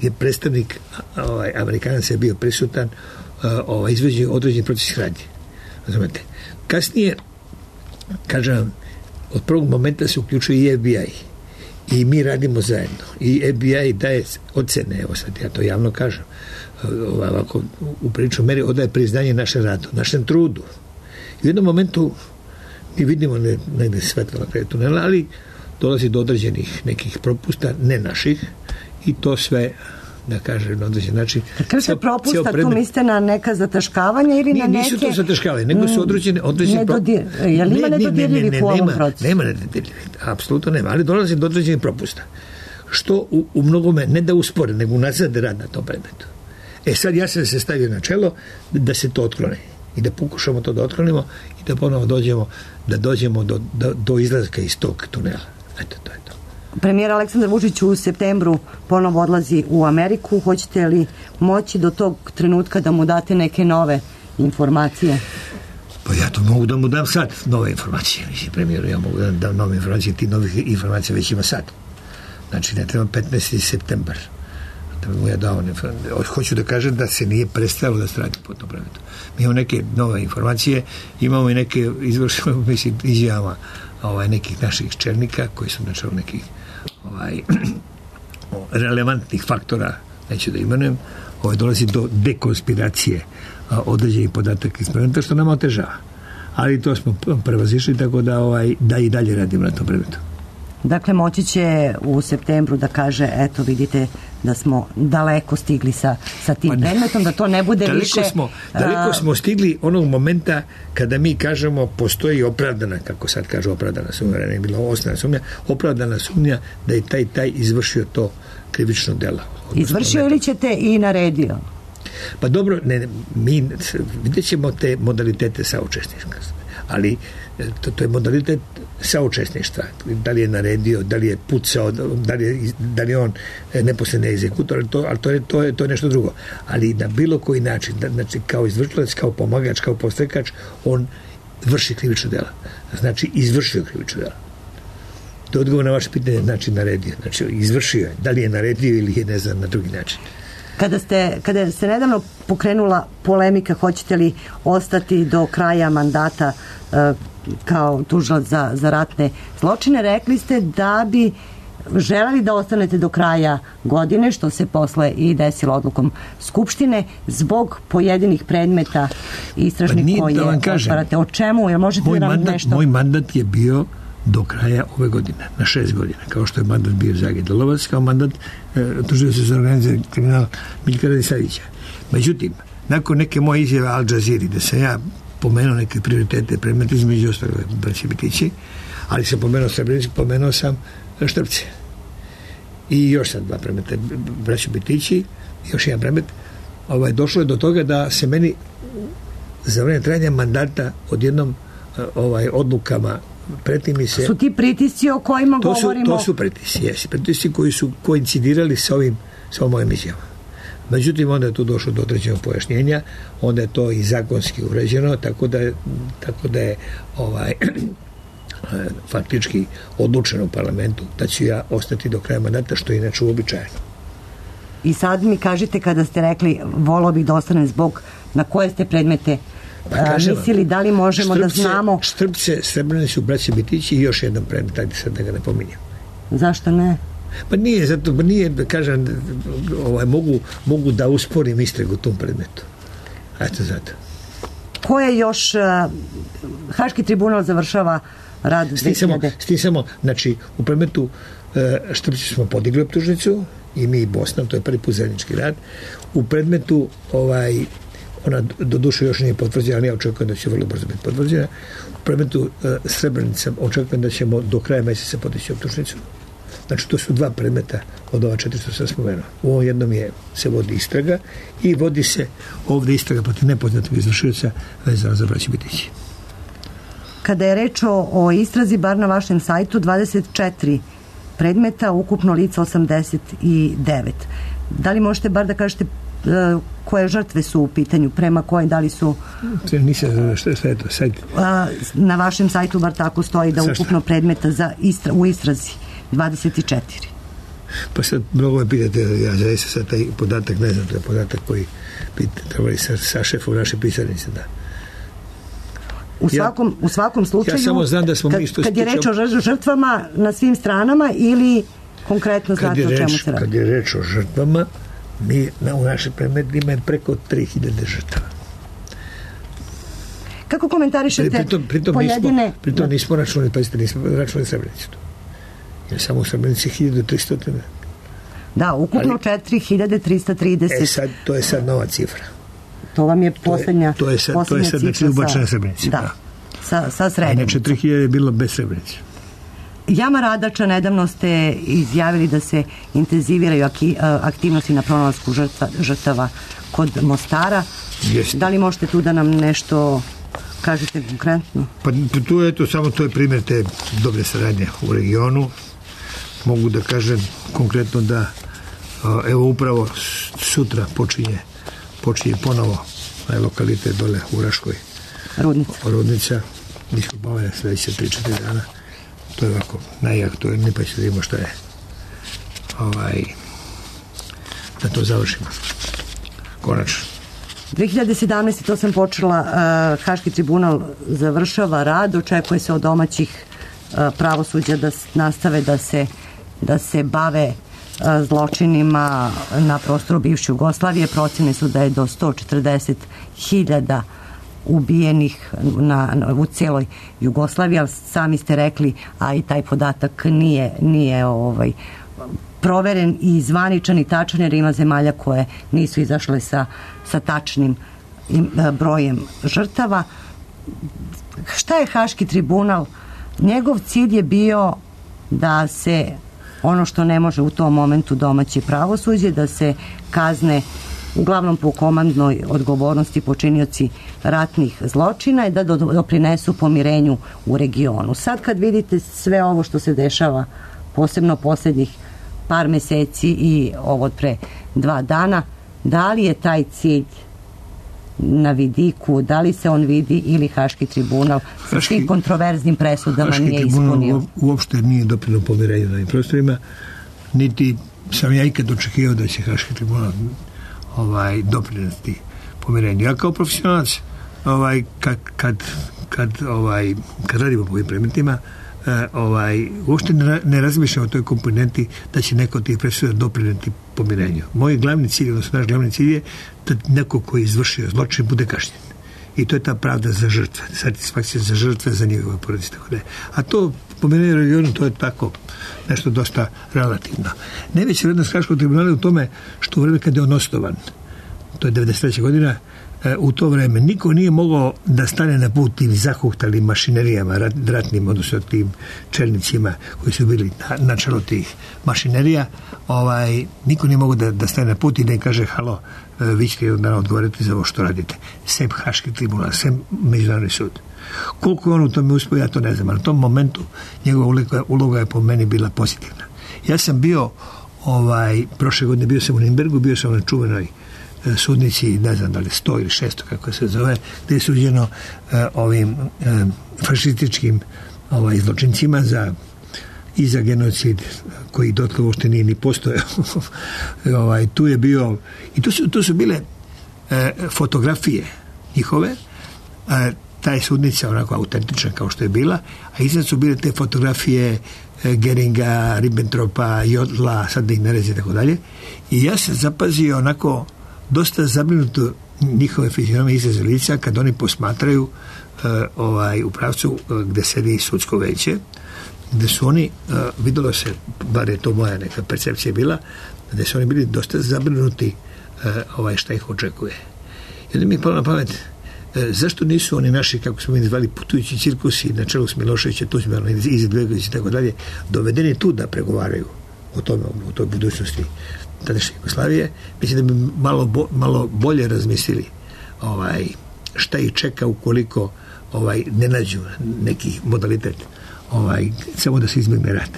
S7: je predstavnik ovaj, Amerikanaca je bio prisutan ovaj, izvođenju određenih procesnih radnji. Razumete? Kasnije, kažem vam, od prvog momenta se uključuje i F B I i mi radimo zajedno i F B I daje ocene, evo sad ja to javno kažem, ovako u priču meri odaje priznanje našem radu, našem trudu. I u jednom momentu mi vidimo ne, negde svetlo na kraju tunela, ali dolazi do određenih nekih propusta, ne naših, i to sve da kažem na određen način.
S5: Kažete propusta, predmet, tu mislite na neka zataškavanja ili
S7: ni,
S5: na neke...
S7: Nisu to zataškavanje, nego su određene... određene
S5: nedodir, pro... Je li ima ne, nedodirljivih ne, ne, u ovom procesu?
S7: Nema nedodirljivih, apsolutno nema, ali dolazi do određenih propusta. Što u, u mnogome ne da uspore, nego unazade rad na tom predmetu. E sad ja sam se stavio na čelo da se to otklone i da pokušamo to da otklonimo i da ponovo dođemo, da dođemo do, do, do izlaska iz tog tunela. Eto, to je to.
S5: Premijer Aleksandar Vučić u septembru ponovo odlazi u Ameriku. Hoćete li moći do tog trenutka da mu date neke nove informacije?
S7: Pa ja to mogu da mu dam sad, nove informacije. Mislim, premijeru, ja mogu da dam nove informacije, ti novih informacija već ima sad. Znači, ne treba petnaesti septembar. Da bi mu ja dao, hoću da kažem da se nije prestalo da se radi po tom predmetu. Mi imamo neke nove informacije, imamo i neke izvršene, mislim, izjava ovaj, nekih naših čelnika koji su načelo nekih ovaj, relevantnih faktora, neću da imenujem, ovaj, dolazi do dekonspiracije određenih podataka iz predmeta, što nam otežava. Ali to smo prevazišli, tako da, ovaj, da i dalje radimo na tom predmetu.
S5: Dakle, moći će u septembru da kaže, eto, vidite da smo daleko stigli sa, sa tim pa predmetom, da to ne bude
S7: daleko
S5: više...
S7: Smo, daleko smo stigli onog momenta kada mi kažemo postoji opravdana, kako sad kaže opravdana sumnja, ne je bila osnovna sumnja, opravdana sumnja da je taj taj izvršio to krivično delo.
S5: Izvršio ili ćete i naredio?
S7: Pa dobro, ne, mi vidjet ćemo te modalitete saučesništva, ali to, to je modalitet saučesništva. Da li je naredio, da li je pucao, da li je, da li je on neposredni egzekutor, ali, to, ali to, je, to, je, to je nešto drugo. Ali na bilo koji način, da, znači kao izvršilac, kao pomagač, kao podstrekač, on vrši krivično delo. Znači izvršio krivično delo. To je odgovor na vaše pitanje, znači naredio. Znači izvršio je. Da li je naredio ili je, ne znam, na drugi način.
S5: Kada ste, kada se nedavno pokrenula polemika, hoćete li ostati do kraja mandata e, kao tužilac za, za ratne zločine, rekli ste da bi želeli da ostanete do kraja godine, što se posle i desilo odlukom Skupštine, zbog pojedinih predmeta istražnih pa koje da otvarate. O čemu? Jel možete
S7: moj
S5: da nam
S7: mandat,
S5: nešto...
S7: Moj mandat je bio do kraja ove godine, na šest godina, kao što je mandat bio Zagij Dolovac, kao mandat e, tužioca za organizirani kriminal Miljka Radisavljevića. Međutim, nakon neke moje izjave Al Jazeera, da sam ja pomenuo neke prioritete predmeta, između ostalog braće Bitići, ali sam pomenuo Srebrenicu, pomenuo sam Štrpce. I još sam dva predmeta, braće Bitići, još jedan predmet. Ovaj, došlo je do toga da se meni za vreme trajanja mandata odjednom ovaj, odlukama pretimi se...
S5: Su ti pritisci o kojima
S7: to su,
S5: govorimo?
S7: To su pritisci, jesi. Pritisci koji su koincidirali sa ovim, sa ovim mojim izjavama. Međutim, onda je tu došlo do određenog pojašnjenja, onda je to i zakonski uređeno, tako da, tako da je ovaj, faktički odlučeno u parlamentu da ću ja ostati do kraja mandata, što je inače uobičajeno.
S5: I sad mi kažete, kada ste rekli volao bih da ostanem zbog na koje ste predmete pa, mislili, da li možemo Štrpce, da znamo...
S7: Štrpce, Srebrenicu, braće Bitići i još jedan predmet, ajde sad da ga ne pominjem.
S5: Zašto ne?
S7: Pa nije, zato, pa nije, kažem, ovaj, mogu, mogu da usporim istragu u tom predmetu. Eto zato.
S5: Ko je još, uh, Haški tribunal završava rad dve hiljade?
S7: S tim samo, znači, u predmetu uh, Štrpci smo podigli optužnicu, i mi i Bosna, to je prvi put zajednički rad. U predmetu, ovaj, ona do duše još nije potvrđena, ali ja očekujem da će vrlo brzo biti potvrđena. U predmetu uh, Srebrenica očekujem da ćemo do kraja meseca podići optužnicu. Znači, to su dva predmeta od ova četiri što sam spomenuo. U ovom jednom je, se vodi istraga i vodi se ovdje istraga protiv nepoznatog izvršioca vezano za braću Bitići.
S5: Kada je reč o, o istrazi, bar na vašem sajtu, dvadeset četiri predmeta, ukupno lica osamdeset devet. Da li možete bar da kažete uh, koje žrtve su u pitanju, prema koje, da li su...
S7: Nisam, šta, šta je to, sajt?
S5: Uh, na vašem sajtu bar tako stoji da ukupno predmeta za istra, u istrazi dvadeset četiri.
S7: Pa sad mnogo me pitate, ja zaista sad taj podatak, ne znam, to je podatak koji trebali sa, sa šefom naše pisarnice, da.
S5: U svakom, ja, u svakom slučaju,
S7: ja samo znam da smo mi što
S5: kad je reč o žrtvama na svim stranama ili konkretno znate o čemu se radi?
S7: Kad je reč o žrtvama, mi na, u našem predmetu ima preko tri hiljade žrtava.
S5: Kako komentarišete
S7: pritom, pritom
S5: pojedine...
S7: Nismo, pritom nismo računali, pa nismo računali Srebrenicu. Jer samo u Srebrenici hiljadu tristo.
S5: Da, ukupno
S7: Ali,
S5: četiri hiljade trista trideset.
S7: E sad, to je sad nova cifra.
S5: To vam je poslednja,
S7: to je, to je sad,
S5: poslednja
S7: to je sad,
S5: cifra
S7: znači, ubačena
S5: sa,
S7: Srebrenica.
S5: Da,
S7: da.
S5: sa, sa Srebrenicom.
S7: Inače, tri hiljade je bilo bez Srebrenice.
S5: Jama Radača, nedavno ste izjavili da se intenziviraju aktivnosti na pronalasku žrtva, žrtava kod Mostara.
S7: Jeste.
S5: Da li možete tu da nam nešto kažete konkretno?
S7: Pa tu je to, samo to je primjer te dobre saradnje u regionu. Mogu da kažem konkretno da evo upravo sutra počinje počinje ponovo na lokalitet dole u Raškoj.
S5: Rudnica.
S7: Rudnica. Mi smo bavili sledeće tri četiri dana. To je ovako najaktuelnije, pa ćemo vidimo šta je ovaj, da to završimo. Konačno.
S5: dve hiljade sedamnaeste. to sam počela, uh, Haški tribunal završava rad, očekuje se od domaćih uh, pravosuđa da nastave da se, da se bave uh, zločinima na prostoru bivše Jugoslavije. Procene su da je do sto četrdeset hiljada ubijenih na, na, u cijeloj Jugoslaviji, ali sami ste rekli, a i taj podatak nije, nije ovaj, proveren i zvaničan i tačan, jer ima zemalja koje nisu izašle sa, sa tačnim im, brojem žrtava. Šta je Haški tribunal? Njegov cilj je bio da se ono što ne može u tom momentu domaće pravosuđe, da se kazne uglavnom po komandnoj odgovornosti počinioci ratnih zločina i da doprinesu pomirenju u regionu. Sad kad vidite sve ovo što se dešava, posebno posljednjih par meseci i ovo od pre dva dana, da li je taj cilj na vidiku, da li se on vidi ili Haški tribunal sa svim kontroverznim presudama
S7: Haški
S5: nije
S7: ispunio? Haški
S5: tribunal
S7: uopšte nije doprinio pomirenju na ovim prostorima, niti sam ja ikad očekivao da će Haški tribunal ovaj, doprineti pomirenju. Ja kao profesionalac ovaj, kad, kad, kad, ovaj, kad radimo po ovim predmetima, ovaj, uopšte ne, ne razmišljam o toj komponenti da će neko od tih presuda doprineti pomirenju. Moj glavni cilj, odnosno naš glavni cilj je da neko koji je izvršio zločin bude kažnjen. I to je ta pravda za žrtve, satisfakcija za žrtve, za njegove porodice, tako da. A to pomirenje u regionu, to je tako nešto dosta relativno. Najveća vrednost Haškog tribunala je u tome što u vreme kada je on osnovan, to je devedeset treća godina, u to vreme niko nije mogao da stane na put tim zahuhtalim mašinerijama ratnim, odnosno tim čelnicima koji su bili na, na čelu tih mašinerija. Ovaj, niko nije mogao da, da stane na put i da im kaže halo, vi ćete jedan dan odgovoriti za ovo što radite. Sem Haški tribunal, sem Međunarodni sud. Koliko je on u tome uspio, ja to ne znam, ali u tom momentu njegova uloga, uloga je po meni bila pozitivna. Ja sam bio ovaj, prošle godine bio sam u Nimbergu, bio sam na čuvenoj sudnici, ne znam da li sto ili šesto kako se zove, gde je suđeno uh, ovim uh, fašističkim ovaj, zločincima za i za genocid koji dotle uopšte nije ni postojao. ovaj, tu je bio i tu su, tu su bile uh, fotografije njihove, uh, ta je sudnica onako autentična kao što je bila, a iznad su bile te fotografije uh, Geringa, Ribbentropa, Jodla, sad da ih ne rezi i tako dalje. I ja sam zapazio onako dosta zabrinuto njihove fizionomije izraze lica kad oni posmatraju uh, ovaj, u pravcu uh, gde sedi sudsko veće, gde su oni, uh, videlo se, bar je to moja neka percepcija bila, gde su oni bili dosta zabrinuti uh, ovaj, šta ih očekuje. I onda mi je palo na pamet, uh, zašto nisu oni naši, kako smo mi zvali, putujući cirkusi na čelu s Miloševića, Tuđmanom, Izetbegović i tako dalje, dovedeni tu da pregovaraju o tome, o toj budućnosti tadašnje Jugoslavije, mislim da bi malo, bo, malo bolje razmislili ovaj, šta ih čeka ukoliko ovaj, ne nađu neki modalitet ovaj, samo da se izbjegne rat.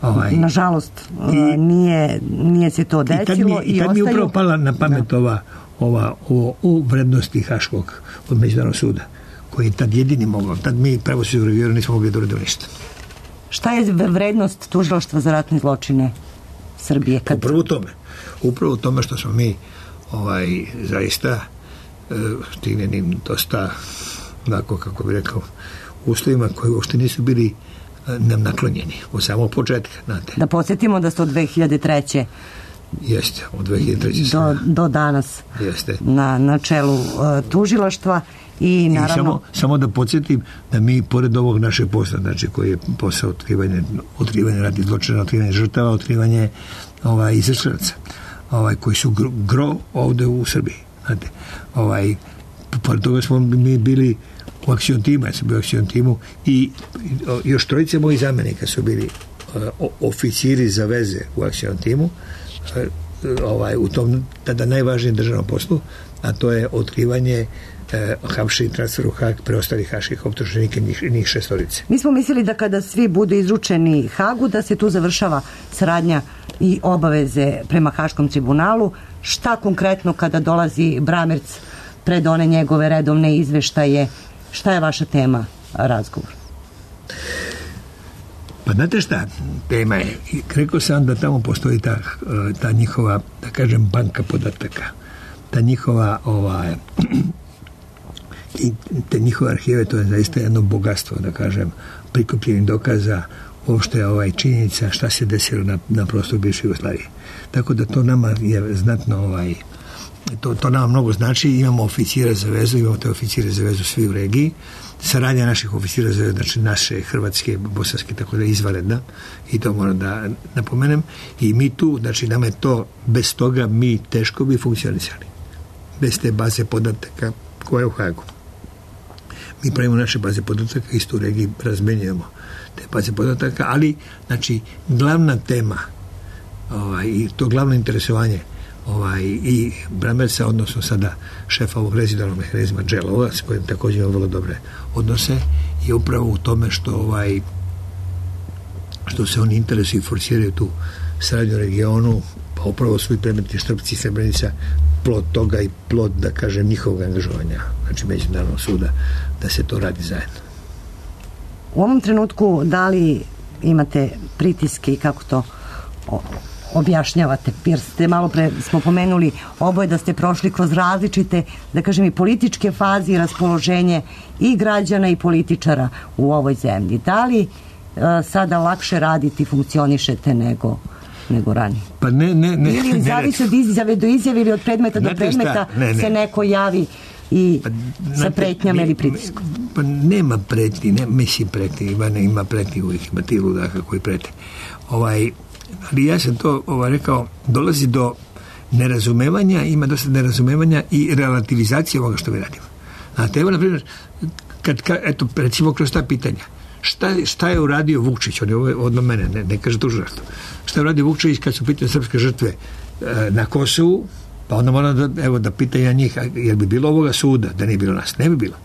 S7: Ovaj,
S5: Nažalost, i, nije, nije se to desilo. I tad mi, i
S7: i tad
S5: ostaju...
S7: mi upravo pala na pamet da. ova, ova o, o vrednosti Haškog od Međunarodnog suda, koji je tad jedini mogao. Tad mi pravosuđe u regionu nismo mogli da uradimo ništa.
S5: Šta je vrednost tužilaštva za ratne zločine Srbije? Kad...
S7: Upravo u tome. Upravo u tome što smo mi ovaj, zaista uh, stignenim dosta onako, kako bi rekao, uslovima koji uopšte nisu bili uh, nam naklonjeni od samog početka. Znate. Da
S5: podsjetimo da ste od dve hiljade treće
S7: Jeste, od dve hiljade treće
S5: do, do danas
S7: Jeste.
S5: Na, na čelu uh, tužilaštva i naravno...
S7: I samo, samo da podsjetim da mi, pored ovog našeg posla, znači koji je posao otkrivanje, otkrivanje ratnih zločina, otkrivanje žrtava, otkrivanje ovaj, izvršilaca, ovaj, koji su gro, gro ovde u Srbiji. Znate, ovaj, pored toga smo mi bili u akcion timu, ja sam bio u akcion timu i još trojice mojih zamenika su bili uh, oficiri za veze u akcion timu, uh, ovaj, u tom tada najvažnijem državnom poslu, a to je otkrivanje uh, hapšenje i transfer u Hag preostalih haških optuženika, njih, njih šestorice.
S5: Mi smo mislili da kada svi budu izručeni Hagu, da se tu završava saradnja i obaveze prema Haškom tribunalu. Šta konkretno kada dolazi Bramerc pred one njegove redovne izveštaje, šta je vaša tema razgovor?
S7: Pa znate šta, tema je, rekao sam da tamo postoji ta, ta njihova, da kažem, banka podataka, ta njihova ovaj, i te njihove arhive, to je zaista jedno bogatstvo, da kažem, prikupljenih dokaza, uopšte ovaj činjenica šta se desilo na, na prostoru bivše Jugoslavije. Tako da to nama je znatno ovaj, to, to nama mnogo znači. Imamo oficire za vezu, imamo te oficire za vezu svi u regiji. Saradnja naših oficira za vezu, znači naše, hrvatske, bosanske, tako da je izvanredna i to moram da napomenem. I mi tu, znači nama je to, bez toga mi teško bi funkcionisali. Bez te baze podataka koja je u Hagu. Mi pravimo naše baze podataka, isto u regiji razmenjujemo te baze podataka, ali znači glavna tema ovaj, i to glavno interesovanje ovaj, i Bramerca, odnosno sada šefa ovog rezidualnog mehanizma Dželova, s kojim također imamo vrlo dobre odnose, je upravo u tome što ovaj što se oni interesuju i forsiraju tu saradnju regionu, pa upravo su i predmeti Štrpci i Srebrenica plod toga i plod, da kažem, njihovog angažovanja, znači međunarodnog suda, da se to radi zajedno.
S5: U ovom trenutku da li imate pritiske i kako to objašnjavate? Jer ste malo pre smo pomenuli oboje da ste prošli kroz različite, da kažem, i političke faze i raspoloženje i građana i političara u ovoj zemlji. Da li uh, sada lakše raditi, funkcionišete nego nego ranije?
S7: Pa ne, ne, ne.
S5: Ili zavisi od izjave do izjave ili od predmeta do predmeta ne, ne. se neko javi i pa, sa pretnjama ili pritiskom?
S7: Pa nema pretnji, ne, mislim pretnji, ima, ne, ima pretnji uvijek, ima ti ludaka koji prete. Ovaj, ali ja sam to ovaj, rekao, dolazi do nerazumevanja, ima dosta nerazumevanja i relativizacije ovoga što mi radimo. Znate, evo, na primjer, kad, kad, eto, recimo kroz ta pitanja, šta, šta je uradio Vukčić, on je odno mene, ne, ne kaže tužilaštvo, šta je uradio Vukčić kad su pitanje srpske žrtve e, na Kosovu, pa onda moram da, evo, da pitaju na njih, jer bi bilo ovoga suda, da nije bilo nas, ne bi bilo.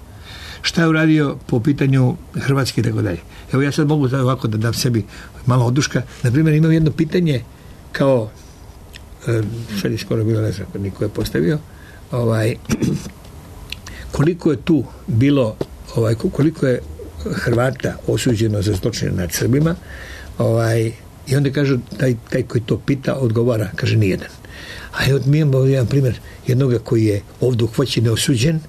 S7: Šta je uradio po pitanju Hrvatske i tako dalje. Evo ja sad mogu ovako da dam sebi malo oduška. Na primjer, imam jedno pitanje kao, e, sad je skoro bilo, ne znam, niko je postavio, ovaj, koliko je tu bilo, ovaj, koliko je Hrvata osuđeno za zločine nad Srbima, ovaj, i onda kaže, taj, taj koji to pita, odgovara, kaže, nijedan. A evo, mi imamo jedan primjer jednoga koji je ovdje uhvaćen neosuđen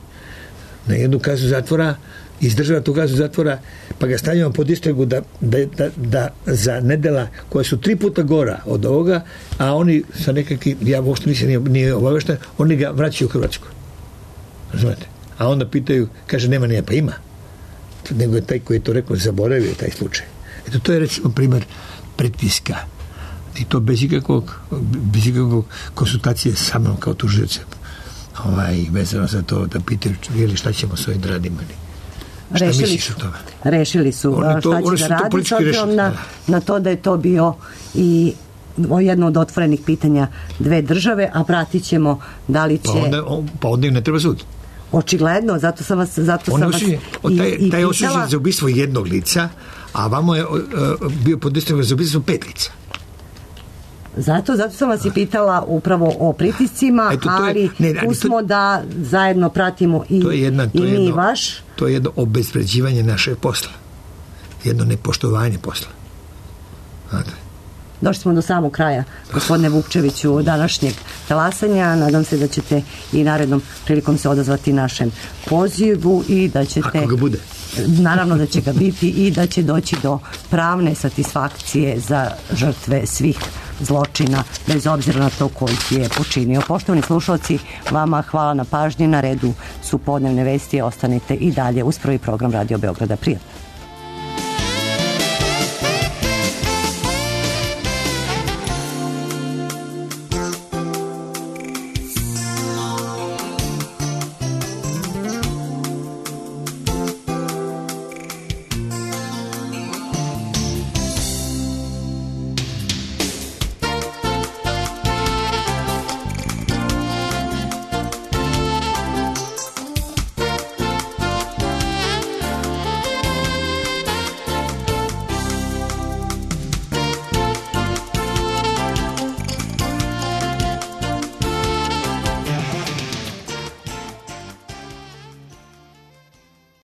S7: na jednu kaznu zatvora, izdržava tu kaznu zatvora, pa ga stavljamo pod istragu da, da, da, da za nedela koja su tri puta gora od ovoga, a oni sa nekakvim, ja uopšte nisam nije, nije obavešten, oni ga vraćaju u Hrvatsku. Razumete? A onda pitaju, kaže, nema nije, pa ima. Nego je taj koji je to rekao zaboravio taj slučaj. Eto, to je recimo primjer pritiska. I to bez ikakvog, bez ikakvog konsultacije sa mnom kao tužiocem. Ovaj, vezano za to da pitaju šta ćemo s ovim da radimo. Šta
S5: rešili
S7: misliš
S5: su,
S7: o tome?
S5: Rešili su
S7: to,
S5: šta će da radi s obzirom na, na to da je to bio i jedno od otvorenih pitanja dve države, a pratit ćemo da li će...
S7: Pa onda, pa onda im ne treba sud.
S5: Očigledno, zato sam vas, zato sam vas
S7: osuđen,
S5: i,
S7: taj,
S5: i
S7: taj je osuđen
S5: pitala...
S7: za ubistvo jednog lica, a vamo je uh, bio pod istragom za ubistvo pet lica.
S5: Zato, zato sam vas i pitala upravo o pritiscima, Eto, ali je, ne, ali smo to, da zajedno pratimo i, to je jedna, to i mi jedno, i vaš.
S7: To je jedno obezvređivanje našeg posla. Jedno nepoštovanje posla. Znate.
S5: Došli smo do samog kraja, gospodine Vukčeviću, današnjeg talasanja. Nadam se da ćete i narednom prilikom se odazvati našem pozivu i da ćete...
S7: Ako ga bude.
S5: Naravno da će ga biti i da će doći do pravne satisfakcije za žrtve svih zločina, bez obzira na to koji je počinio. Poštovani slušalci, vama hvala na pažnji. Na redu su podnevne vesti. Ostanite i dalje uz prvi program Radio Beograda. Prijatno.